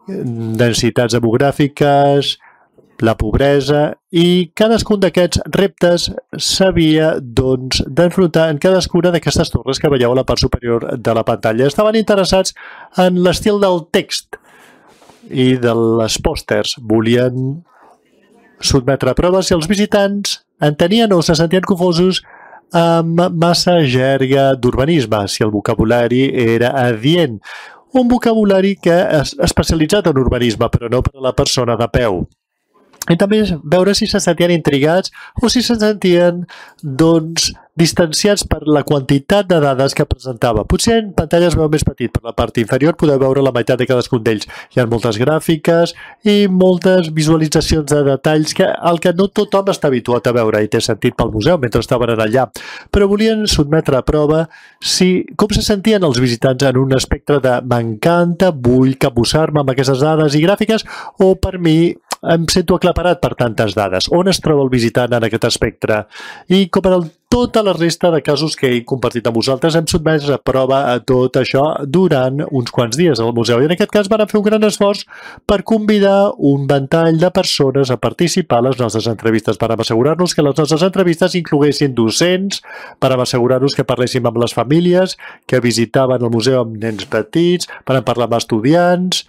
densitats demogràfiques, la pobresa, i cadascun d'aquests reptes s'havia d'enfrontar en cadascuna d'aquestes torres que veieu a la part superior de la pantalla. Estaven interessats en l'estil del text i de les pòsters. Volien sotmetre a proves si els visitants entenien o se sentien confosos amb massa jerga d'urbanisme, si el vocabulari era adient. Un vocabulari que és especialitzat en urbanisme, però no per a la persona de peu. I també veure si se sentien intrigats o si se sentien, doncs, distanciats per la quantitat de dades que presentava. Potser en pantalles veu més petit, per la part inferior podeu veure la meitat de cadascun d'ells. Hi ha moltes gràfiques i moltes visualitzacions de detalls que el que no tothom està habituat a veure i té sentit pel museu mentre estaven allà. Però volien sotmetre a prova com se sentien els visitants en un espectre de m'encanta, vull capbussar-me amb aquestes dades i gràfiques, o per mi em sento aclaparat per tantes dades. On es troba el visitant en aquest espectre? I com en tota la resta de casos que he compartit amb vosaltres, hem sotmès a prova a tot això durant uns quants dies al museu. I en aquest cas van fer un gran esforç per convidar un ventall de persones a participar a les nostres entrevistes. Vàrem assegurar-nos que les nostres entrevistes incloguessin docents, vàrem assegurar-nos que parléssim amb les famílies que visitaven el museu amb nens petits, vàrem parlar amb estudiants,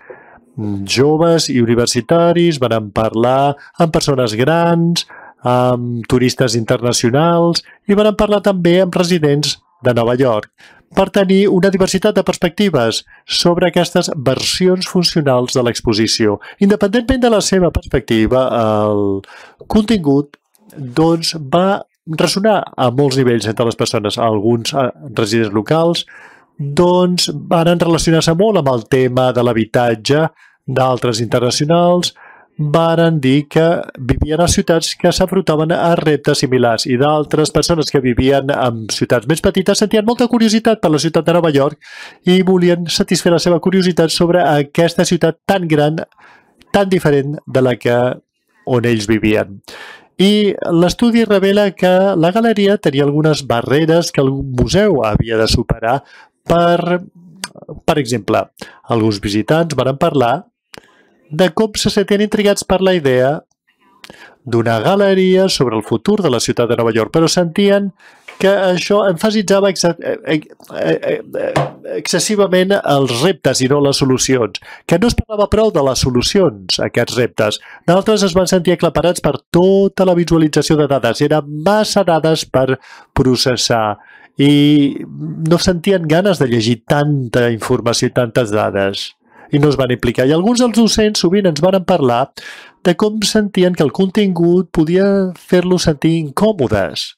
joves i universitaris, vàrem parlar amb persones grans, amb turistes internacionals i vàrem parlar també amb residents de Nova York per tenir una diversitat de perspectives sobre aquestes versions funcionals de l'exposició. Independentment de la seva perspectiva, el contingut doncs, va ressonar a molts nivells entre les persones. Alguns residents locals doncs, van relacionar-se molt amb el tema de l'habitatge, d'altres internacionals varen dir que vivien a ciutats que s'afrontaven a reptes similars i d'altres persones que vivien en ciutats més petites sentien molta curiositat per la ciutat de Nova York i volien satisfer la seva curiositat sobre aquesta ciutat tan gran, tan diferent de la que on ells vivien. I l'estudi revela que la galeria tenia algunes barreres que el museu havia de superar per exemple, alguns visitants van parlar de com se sentien intrigats per la idea d'una galeria sobre el futur de la ciutat de Nova York, però sentien que això emfasitzava excessivament els reptes i no les solucions, que no es parlava prou de les solucions a aquests reptes. D'altres es van sentir aclaparats per tota la visualització de dades. Eren massa dades per processar i no sentien ganes de llegir tanta informació i tantes dades i no es van implicar. I alguns dels docents sovint ens van parlar de com sentien que el contingut podia fer-los sentir incòmodes.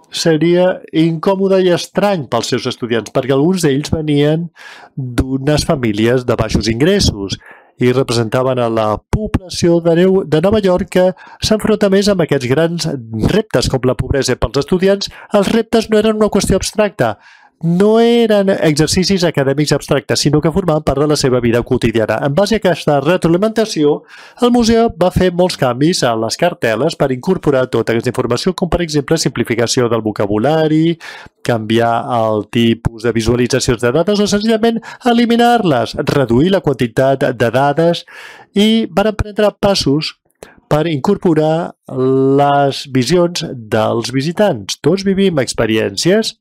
Seria incòmode i estrany pels seus estudiants, perquè alguns d'ells venien d'unes famílies de baixos ingressos i representaven a la població de Nova York que s'enfronta més amb aquests grans reptes com la pobresa. Pels estudiants, els reptes no eren una qüestió abstracta, no eren exercicis acadèmics abstractes, sinó que formaven part de la seva vida quotidiana. En base a aquesta retroalimentació, el museu va fer molts canvis a les cartel·les per incorporar tota aquesta informació, com per exemple simplificació del vocabulari, canviar el tipus de visualitzacions de dades o senzillament eliminar-les, reduir la quantitat de dades i van prendre passos per incorporar les visions dels visitants. Tots vivim experiències,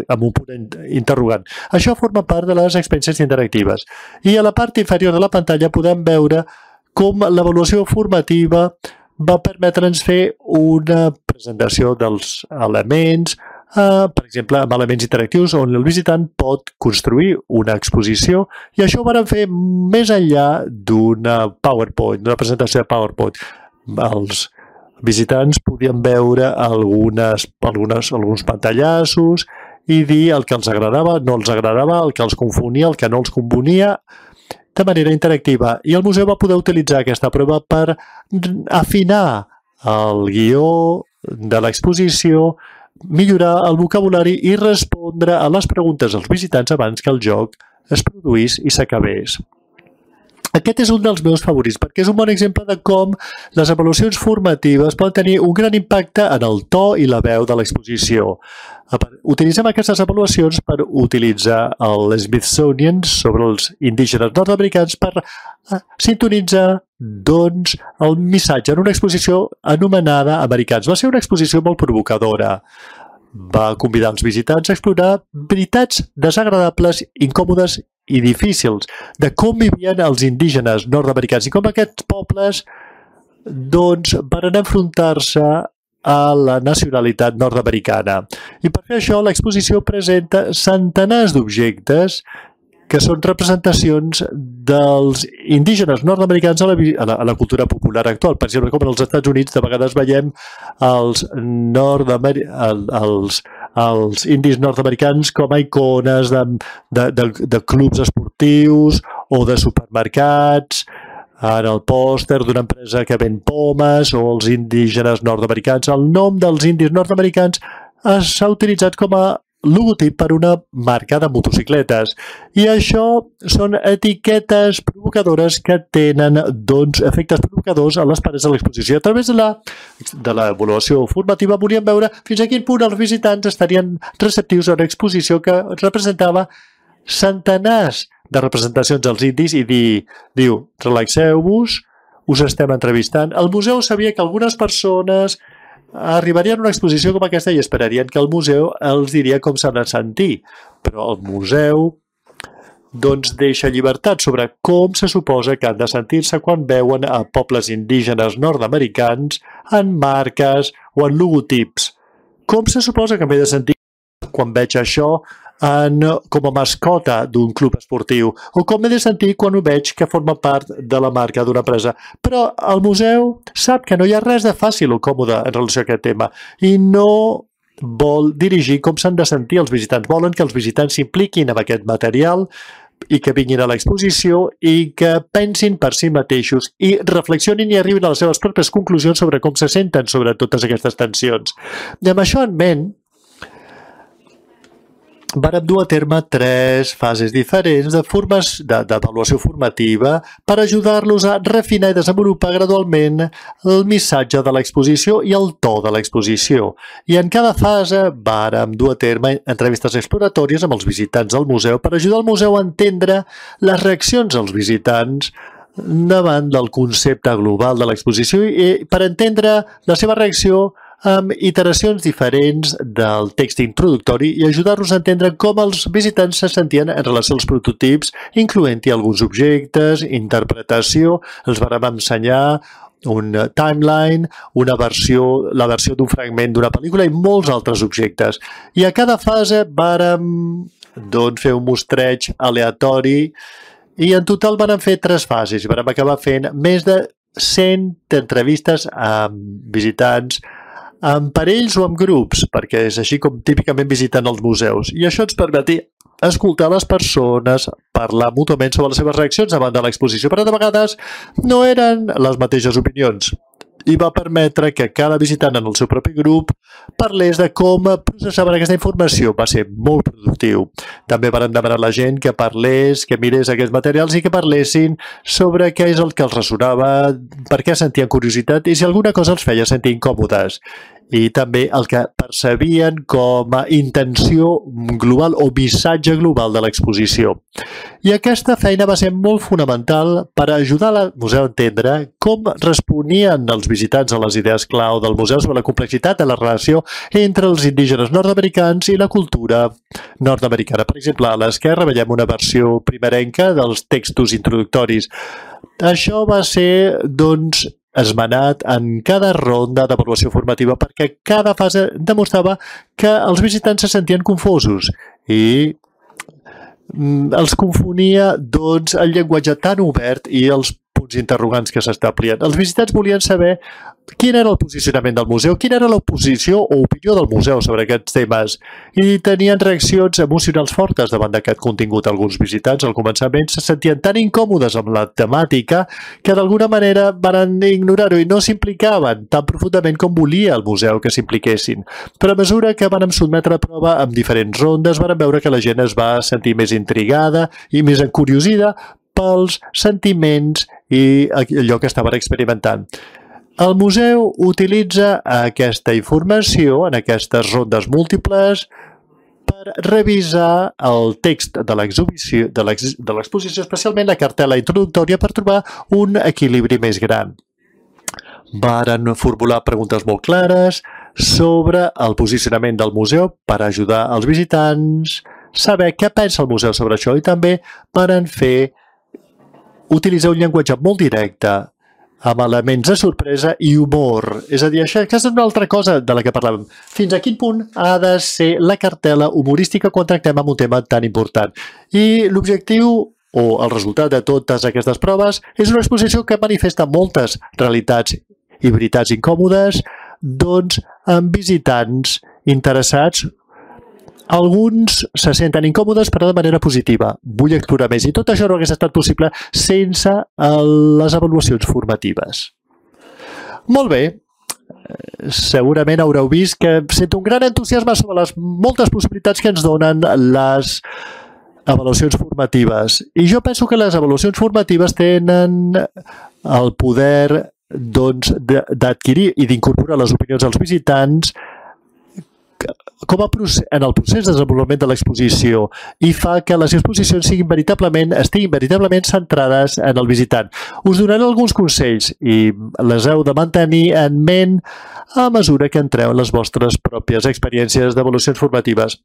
amb un punt interrogant. Això forma part de les experiències interactives. I a la part inferior de la pantalla podem veure com l'avaluació formativa va permetre'ns fer una presentació dels elements, per exemple, amb elements interactius on el visitant pot construir una exposició i això ho vam fer més enllà d'una PowerPoint, d'una presentació de PowerPoint. Els visitants podien veure alguns pantallassos i dir el que els agradava, no els agradava, el que els confonia, el que no els confonia, de manera interactiva. I el museu va poder utilitzar aquesta prova per afinar el guió de l'exposició, millorar el vocabulari i respondre a les preguntes dels visitants abans que el joc es produís i s'acabés. Aquest és un dels meus favorits perquè és un bon exemple de com les avaluacions formatives poden tenir un gran impacte en el to i la veu de l'exposició. Utilitzem aquestes avaluacions per utilitzar el Smithsonian sobre els indígenes nord-americans per sintonitzar doncs, el missatge en una exposició anomenada Americans. Va ser una exposició molt provocadora. Va convidar els visitants a explorar veritats desagradables, incòmodes i difícils de com vivien els indígenes nord-americans i com aquests pobles doncs, van enfrontar-se a la nacionalitat nord-americana. I per fer això, l'exposició presenta centenars d'objectes que són representacions dels indígenes nord-americans a la cultura popular actual. Per exemple, com als Estats Units, de vegades veiem els indis nord-americans com a icones de clubs esportius o de supermercats, en el pòster d'una empresa que ven pomes, o els indígenes nord-americans. El nom dels indis nord-americans s'ha utilitzat com a logotip per una marca de motocicletes. I això són etiquetes provocadores que tenen efectes provocadors a les parets de l'exposició. A través de l'avaluació formativa volíem veure fins a quin punt els visitants estarien receptius a una exposició que representava centenars de representacions dels indis i diu, relaxeu-vos, us estem entrevistant. El museu sabia que algunes persones arribarien a una exposició com aquesta i esperarien que el museu els diria com s'han de sentir, però el museu deixa llibertat sobre com se suposa que han de sentir-se quan veuen a pobles indígenes nord-americans en marques o en logotips. Com se suposa que m'he de sentir quan veig això com a mascota d'un club esportiu, o com m'he de sentir quan ho veig que forma part de la marca d'una empresa. Però el museu sap que no hi ha res de fàcil o còmode en relació a aquest tema i no vol dirigir com s'han de sentir els visitants. Volen que els visitants s'impliquin amb aquest material i que vinguin a l'exposició i que pensin per si mateixos i reflexionin i arribin a les seves pròpies conclusions sobre com se senten sobre totes aquestes tensions. I amb això en ment, vàrem dur a terme 3 fases diferents d'avaluació formativa per ajudar-los a refinar i desenvolupar gradualment el missatge de l'exposició i el to de l'exposició. I en cada fase vàrem dur a terme entrevistes exploratòries amb els visitants del museu per ajudar el museu a entendre les reaccions dels visitants davant del concepte global de l'exposició i per entendre la seva reacció amb iteracions diferents del text introductori i ajudar-los a entendre com els visitants se sentien en relació als prototips, incloent-hi alguns objectes, interpretació. Els vam ensenyar un timeline, la versió d'un fragment d'una pel·lícula i molts altres objectes. I a cada fase vàrem fer un mostreig aleatori i en total vàrem fer 3 fases. Vàrem acabar fent més de 100 entrevistes amb visitants en parells o en grups, perquè és així com típicament visiten els museus. I això ens permetia escoltar les persones, parlar mútuament sobre les seves reaccions davant de l'exposició, però de vegades no eren les mateixes opinions. I va permetre que cada visitant en el seu propi grup parlés de com processaven aquesta informació. Va ser molt productiu. També van demanar a la gent que parlés, que mirés aquests materials i que parlessin sobre què és el que els ressonava, per què sentien curiositat i si alguna cosa els feia sentir incòmodes. I també el que percebien com a intenció global o missatge global de l'exposició. I aquesta feina va ser molt fonamental per ajudar al museu a entendre com responien els visitants a les idees clau del museu sobre la complexitat de la relació entre els indígenes nord-americans i la cultura nord-americana. Per exemple, a l'esquerra veiem una versió primerenca dels textos introductoris. Això va ser, esmenat en cada ronda d'avaluació formativa perquè cada fase demostrava que els visitants se sentien confosos i els confonia el llenguatge tan obert i els punts interrogants que s'establien. Els visitants volien saber quin era el posicionament del museu, quina era l'oposició o opinió del museu sobre aquests temes i tenien reaccions emocionals fortes davant d'aquest contingut. Alguns visitants al començament se sentien tan incòmodes amb la temàtica que d'alguna manera van ignorar-ho i no s'implicaven tan profundament com volia el museu que s'impliquessin. Però a mesura que van sotmetre a prova amb diferents rondes van veure que la gent es va sentir més intrigada i més encuriosida pels sentiments i allò que estaven experimentant. El museu utilitza aquesta informació en aquestes rondes múltiples per revisar el text de l'exposició, especialment la cartel·la introductòria, per trobar un equilibri més gran. Varen formular preguntes molt clares sobre el posicionament del museu per ajudar els visitants a saber què pensa el museu sobre això i també varen utilitzar un llenguatge molt directe amb elements de sorpresa i humor. És a dir, això és una altra cosa de la que parlàvem. Fins a quin punt ha de ser la cartel·la humorística quan tractem amb un tema tan important? I l'objectiu o el resultat de totes aquestes proves és una exposició que manifesta moltes realitats i veritats incòmodes, doncs amb visitants interessats. Alguns se senten incòmodes, però de manera positiva. Vull explorar més. I tot això no hagués estat possible sense les avaluacions formatives. Molt bé. Segurament haureu vist que sento un gran entusiasme sobre les moltes possibilitats que ens donen les avaluacions formatives. I jo penso que les avaluacions formatives tenen el poder d'adquirir i d'incorporar les opinions dels visitants en el procés de desenvolupament de l'exposició i fa que les exposicions estiguin veritablement centrades en el visitant. Us donaré alguns consells i les heu de mantenir en ment a mesura que entreu en les vostres pròpies experiències d'avaluacions formatives.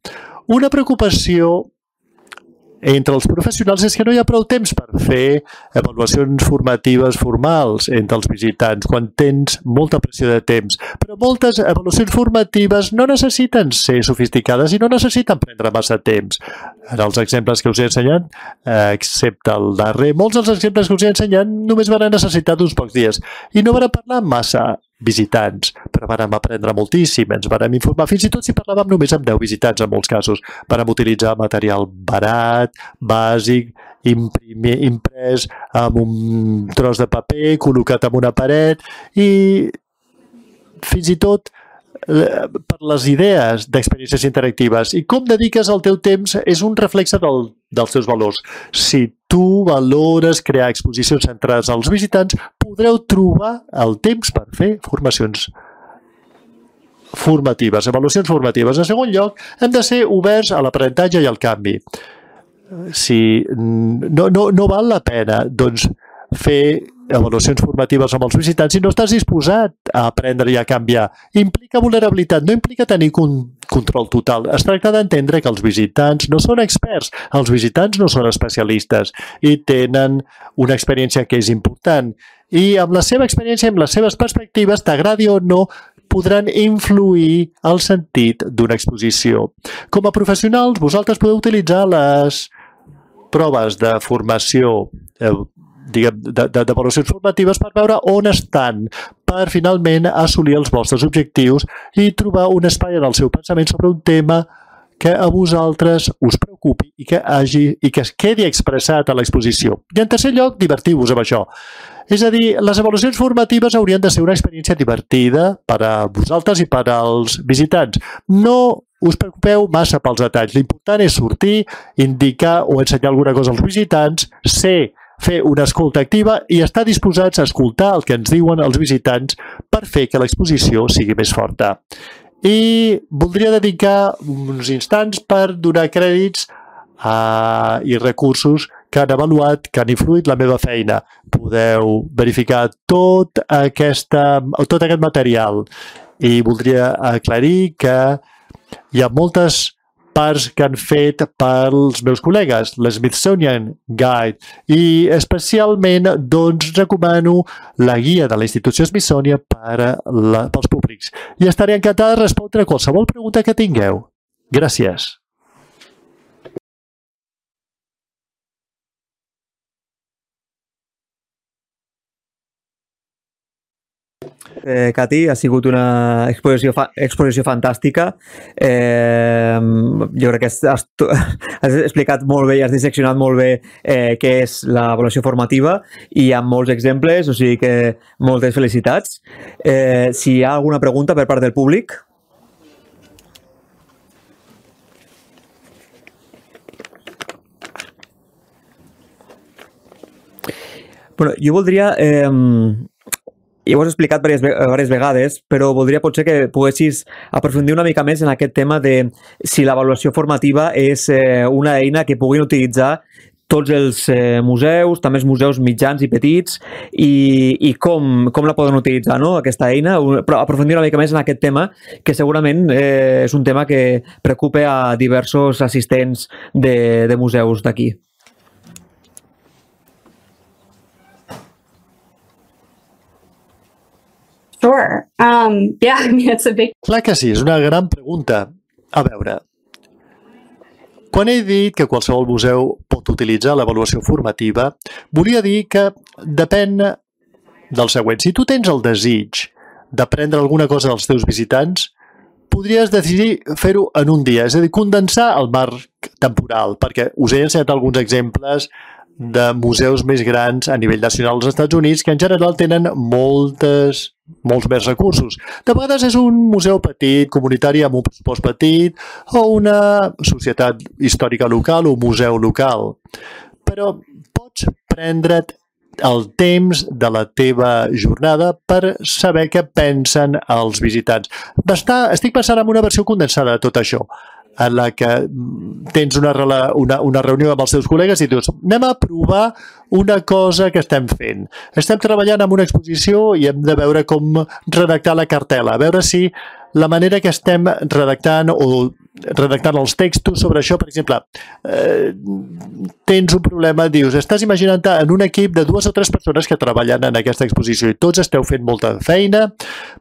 Una preocupació entre els professionals és que no hi ha prou temps per fer avaluacions formatives formals entre els visitants quan tens molta pressió de temps. Però moltes avaluacions formatives no necessiten ser sofisticades i no necessiten prendre massa temps. En els exemples que us he ensenyat, excepte el darrer, molts dels exemples que us he ensenyat només van necessitar d'uns pocs dies i no van parlar massa visitants, però vam aprendre moltíssim, ens vam informar, fins i tot si parlàvem només amb 10 visitants en molts casos. Vam utilitzar material barat, bàsic, imprès amb un tros de paper, col·locat en una paret i fins i tot per les idees d'experiències interactives. I com dediques el teu temps és un reflexe dels teus valors. Si tu valores crear exposicions centrades als visitants, podreu trobar el temps per fer formacions formatives, avaluacions formatives. En segon lloc, hem de ser oberts a l'aprenentatge i al canvi. Si no val la pena, doncs, fer avaluacions formatives amb els visitants si no estàs disposat a aprendre i a canviar. Implica vulnerabilitat, no implica tenir control total. Es tracta d'entendre que els visitants no són experts, els visitants no són especialistes i tenen una experiència que és important. I amb la seva experiència, amb les seves perspectives, t'agradi o no, podran influir el sentit d'una exposició. Com a professionals, vosaltres podeu utilitzar les proves de formació d'avaluacions formatives per veure on estan, per finalment assolir els vostres objectius i trobar un espai en el seu pensament sobre un tema que a vosaltres us preocupi i que es quedi expressat a l'exposició. I en tercer lloc, divertiu-vos amb això. És a dir, les avaluacions formatives haurien de ser una experiència divertida per a vosaltres i per als visitants. No us preocupeu massa pels detalls. L'important és sortir, indicar o ensenyar alguna cosa als visitants, fer una escolta activa i estar disposats a escoltar el que ens diuen els visitants per fer que l'exposició sigui més forta. I voldria dedicar uns instants per donar crèdits i recursos que han avaluat, que han influït la meva feina. Podeu verificar tot aquest material i voldria aclarir que hi ha moltes parts que han fet pels meus col·legues, l'Smithsonian Guide, i especialment doncs recomano la guia de la institució Smithsonian pels públics. I estaré encantada de respondre a qualsevol pregunta que tingueu. Gràcies. Cati, ha sigut una exposició fantàstica. Jo crec que has explicat molt bé i has disseccionat molt bé què és l'avaluació formativa i amb molts exemples, o sigui que moltes felicitats. Si hi ha alguna pregunta per part del públic? Bueno, jo voldria... Ja ho has explicat diverses vegades, però voldria potser que poguessis aprofundir una mica més en aquest tema de si l'avaluació formativa és una eina que puguin utilitzar tots els museus, també els museus mitjans i petits, i com la poden utilitzar, no?, aquesta eina, però aprofundir una mica més en aquest tema, que segurament és un tema que preocupa a diversos assistents de museus d'aquí. Sure. Yeah, I mean, it's a big Clar que sí, és una gran pregunta. A veure, quan he dit que qualsevol museu pot utilitzar l'avaluació formativa, volia dir que depèn del següent. Si tu tens el desig d'aprendre alguna cosa dels teus visitants, podries decidir fer-ho en un dia, és a dir, condensar el marc temporal, perquè us he ensenyat alguns exemples de museus més grans a nivell nacional als Estats Units que en general tenen molts més recursos. De vegades és un museu petit, comunitari amb un pressupost petit o una societat històrica local o un museu local. Però pots prendre't el temps de la teva jornada per saber què pensen els visitants. Estic pensant en una versió condensada de tot això, en la que tens una reunió amb els teus col·legues i dius, anem a provar una cosa que estem fent. Estem treballant en una exposició i hem de veure com redactar la cartel·la, a veure si la manera que estem redactant els textos sobre això, per exemple, tens un problema, dius, estàs imaginant-te en un equip de 2 o 3 persones que treballen en aquesta exposició i tots esteu fent molta feina,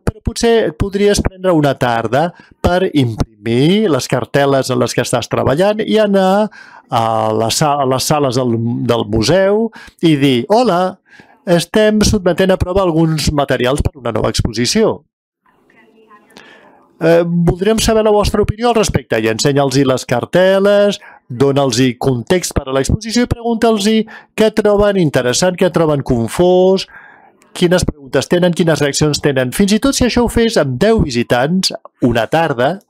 però potser podries prendre una tarda per imprimir les cartel·les en les que estàs treballant i anar a les sales del museu i dir, hola, estem sotmetent a prova alguns materials per una nova exposició. Voldríem saber la vostra opinió al respecte i ensenya-los les cartel·les, dona-los context per a l'exposició i pregunta-los què troben interessant, què troben confós, quines preguntes tenen, quines reaccions tenen. Fins i tot si això ho fes amb 10 visitants una tarda,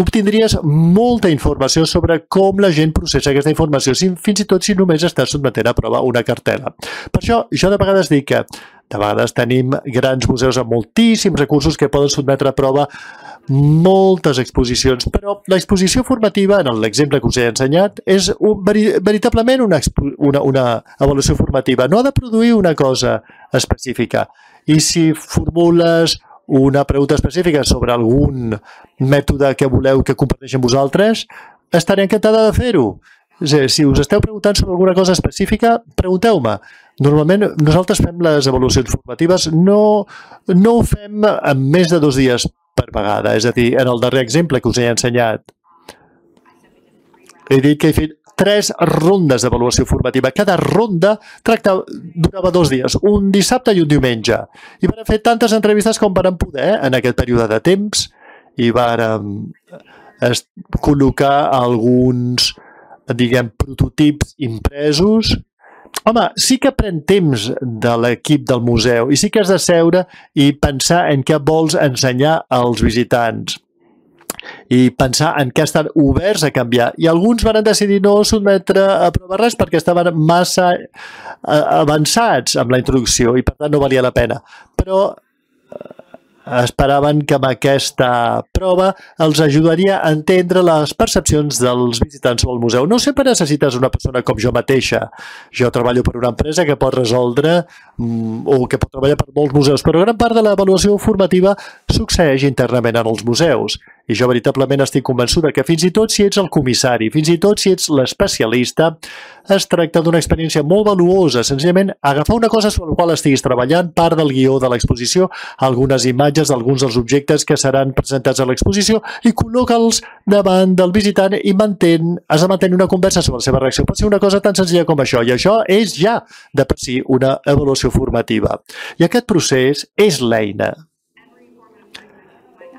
obtindries molta informació sobre com la gent processa aquesta informació, fins i tot si només estàs sotmetent a prova una cartel·la. Per això, jo de vegades dic que de vegades tenim grans museus amb moltíssims recursos que poden sotmetre a prova moltes exposicions, però l'exposició formativa, en l'exemple que us he ensenyat, és veritablement una avaluació formativa. No ha de produir una cosa específica. I si formules una pregunta específica sobre algun mètode que voleu que comparteixi amb vosaltres, estaré encantada de fer-ho. Si us esteu preguntant sobre alguna cosa específica, pregunteu-me. Normalment nosaltres fem les avaluacions formatives, no ho fem en més de 2 dies per vegada. És a dir, en el darrer exemple que us he ensenyat, he dit que he fet 3 rondes d'avaluació formativa. Cada ronda durava 2 dies, un dissabte i un diumenge. I vam fer tantes entrevistes com vam poder en aquest període de temps i vam col·locar alguns, prototips impresos. Home, sí que pren temps de l'equip del museu i sí que has de seure i pensar en què vols ensenyar als visitants i pensar en què estan oberts a canviar. I alguns van decidir no sotmetre a prova res perquè estaven massa avançats amb la introducció i per tant no valia la pena. Però esperaven que amb aquesta prova els ajudaria a entendre les percepcions dels visitants al museu. No sempre necessites una persona com jo mateixa. Jo treballo per una empresa que pot resoldre o que pot treballar per molts museus, però gran part de l'avaluació formativa succeeix internament en els museus. I jo veritablement estic convençuda que fins i tot si ets el comissari, fins i tot si ets l'especialista, es tracta d'una experiència molt valuosa. Senzillament, agafar una cosa sobre la qual estiguis treballant, part del guió de l'exposició, algunes imatges d'alguns dels objectes que seran presentats a l'exposició i col·loca-los davant del visitant i has de mantenir una conversa sobre la seva reacció. Pot ser una cosa tan senzilla com això, i això és ja de per si una avaluació formativa. I aquest procés és l'eina.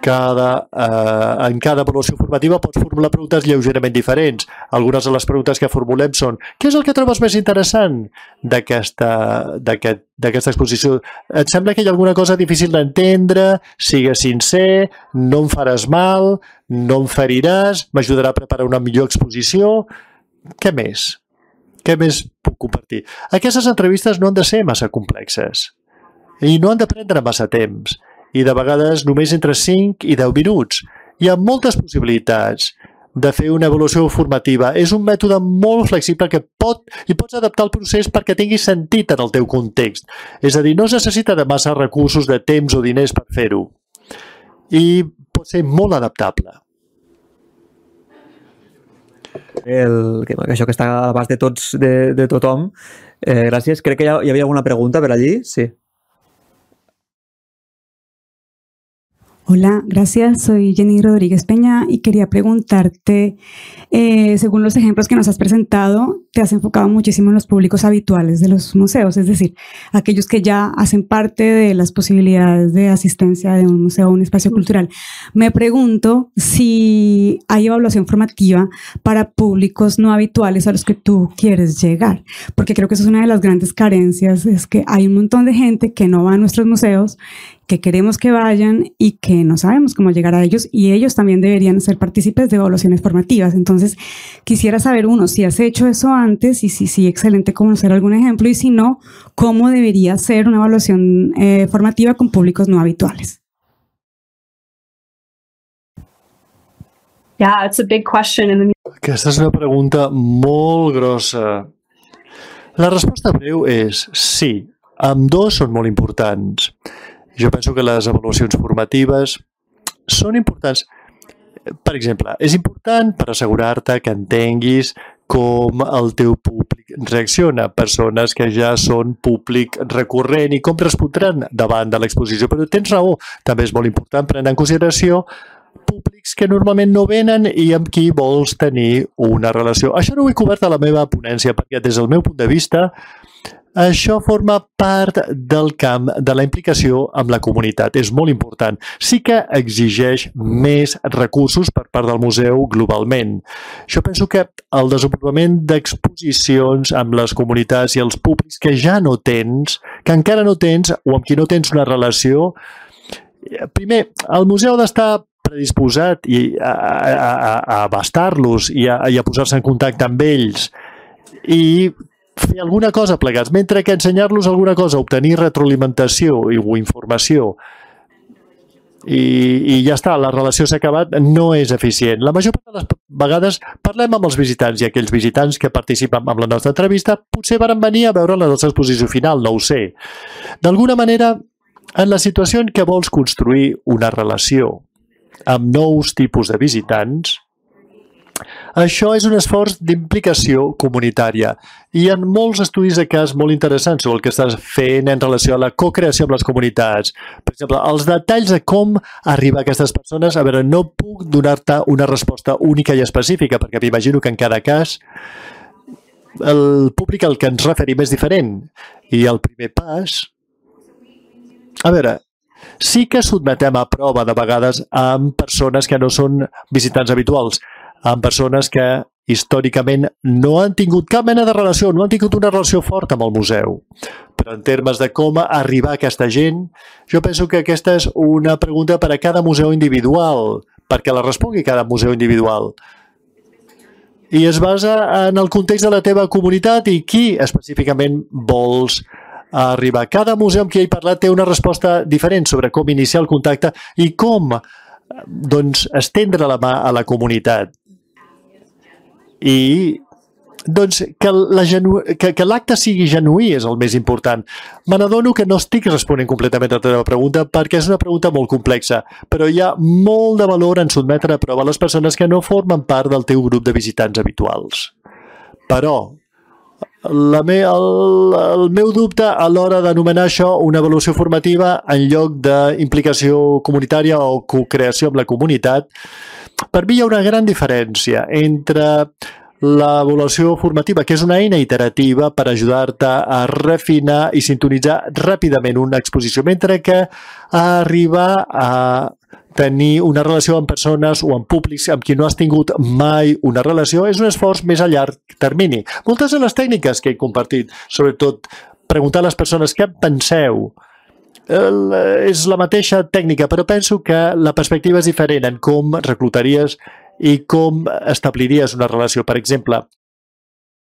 En cada avaluació formativa pots formular preguntes lleugerament diferents. Algunes de les preguntes que formulem són: què és el que trobes més interessant d'aquesta exposició? Et sembla que hi ha alguna cosa difícil d'entendre? Sigues sincer, no em faràs mal, no em feriràs, m'ajudarà a preparar una millor exposició? Què més? Què més puc compartir? Aquestes entrevistes no han de ser massa complexes i no han de prendre massa temps. I de vegades només entre 5 i 10 minuts. Hi ha moltes possibilitats de fer una avaluació formativa. És un mètode molt flexible que pots adaptar el procés perquè tingui sentit en el teu context. És a dir, no es necessita de massa recursos, de temps o diners per fer-ho. I pot ser molt adaptable. Això que està a l'abast de tothom. Gràcies. Crec que hi havia alguna pregunta per allí. Sí. Hola, gracias. Soy Jenny Rodríguez Peña y quería preguntarte, según los ejemplos que nos has presentado, te has enfocado muchísimo en los públicos habituales de los museos, es decir, aquellos que ya hacen parte de las posibilidades de asistencia de un museo o un espacio cultural. Me pregunto si hay evaluación formativa para públicos no habituales a los que tú quieres llegar, porque creo que eso es una de las grandes carencias, es que hay un montón de gente que no va a nuestros museos, que queremos que vayan y que no sabemos cómo llegar a ellos, y ellos también deberían ser partícipes de evaluaciones formativas. Entonces, quisiera saber, uno, si has hecho eso antes y si sí, excelente conocer algún ejemplo, y si no, cómo debería ser una evaluación formativa con públicos no habituales. Yeah, it's a big question. Aquesta és una pregunta molt grossa. La resposta breu és sí, ambdós són molt importants. Jo penso que les avaluacions formatives són importants. Per exemple, és important per assegurar-te que entenguis com el teu públic reacciona, persones que ja són públic recurrent i com respondran davant de l'exposició. Però tens raó, també és molt important prendre en consideració públics que normalment no venen i amb qui vols tenir una relació. Això no ho he cobert a la meva ponència perquè des del meu punt de vista això forma part del camp de la implicació amb la comunitat. És molt important. Sí que exigeix més recursos per part del museu globalment. Jo penso que el desenvolupament d'exposicions amb les comunitats i els públics que ja no tens, que encara no tens o amb qui no tens una relació, primer, el museu ha d'estar predisposat a abastar-los i a posar-se en contacte amb ells i fer alguna cosa plegats, mentre que ensenyar-los alguna cosa, obtenir retroalimentació o informació i ja està, la relació s'ha acabat, no és eficient. La major part de les vegades parlem amb els visitants i aquells visitants que participen en la nostra entrevista potser van venir a veure la nostra exposició final, no ho sé. D'alguna manera, en la situació en què vols construir una relació amb nous tipus de visitants, això és un esforç d'implicació comunitària i hi ha molts estudis de cas molt interessants sobre el que estàs fent en relació a la co-creació amb les comunitats. Per exemple, els detalls de com arribar a aquestes persones, a veure, no puc donar-te una resposta única i específica perquè m'imagino que en cada cas el públic al que ens referim és diferent i el primer pas, a veure, sí que sotmetem a prova de vegades amb persones que no són visitants habituals, amb persones que històricament no han tingut cap mena de relació, no han tingut una relació forta amb el museu. Però en termes de com arribar a aquesta gent, jo penso que aquesta és una pregunta per a cada museu individual, perquè la respongui cada museu individual. I es basa en el context de la teva comunitat i qui específicament vols arribar. Cada museu amb qui he parlat té una resposta diferent sobre com iniciar el contacte i com estendre la mà a la comunitat. I que l'acte sigui genuí és el més important. Me n'adono que no estic responent completament a la teva pregunta perquè és una pregunta molt complexa, però hi ha molt de valor en sotmetre a prova les persones que no formen part del teu grup de visitants habituals. Però el meu dubte a l'hora d'anomenar això una avaluació formativa en lloc d'implicació comunitària o co-creació amb la comunitat, per mi hi ha una gran diferència entre l'avaluació formativa, que és una eina iterativa per ajudar-te a refinar i sintonitzar ràpidament una exposició, mentre que arribar a tenir una relació amb persones o amb públics amb qui no has tingut mai una relació és un esforç més a llarg termini. Moltes de les tècniques que he compartit, sobretot preguntar a les persones què penseu, és la mateixa tècnica, però penso que la perspectiva és diferent en com reclutaries i com establiries una relació. Per exemple,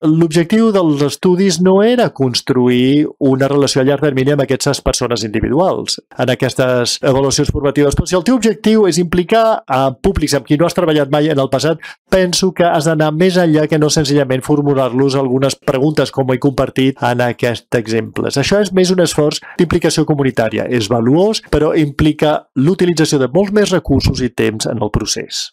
l'objectiu dels estudis no era construir una relació a llarg termini amb aquestes persones individuals en aquestes avaluacions formatives, però si el teu objectiu és implicar a públics amb qui no has treballat mai en el passat, penso que has d'anar més enllà que no senzillament formular-los algunes preguntes com he compartit en aquests exemples. Això és més un esforç d'implicació comunitària. És valuós, però implica l'utilització de molts més recursos i temps en el procés.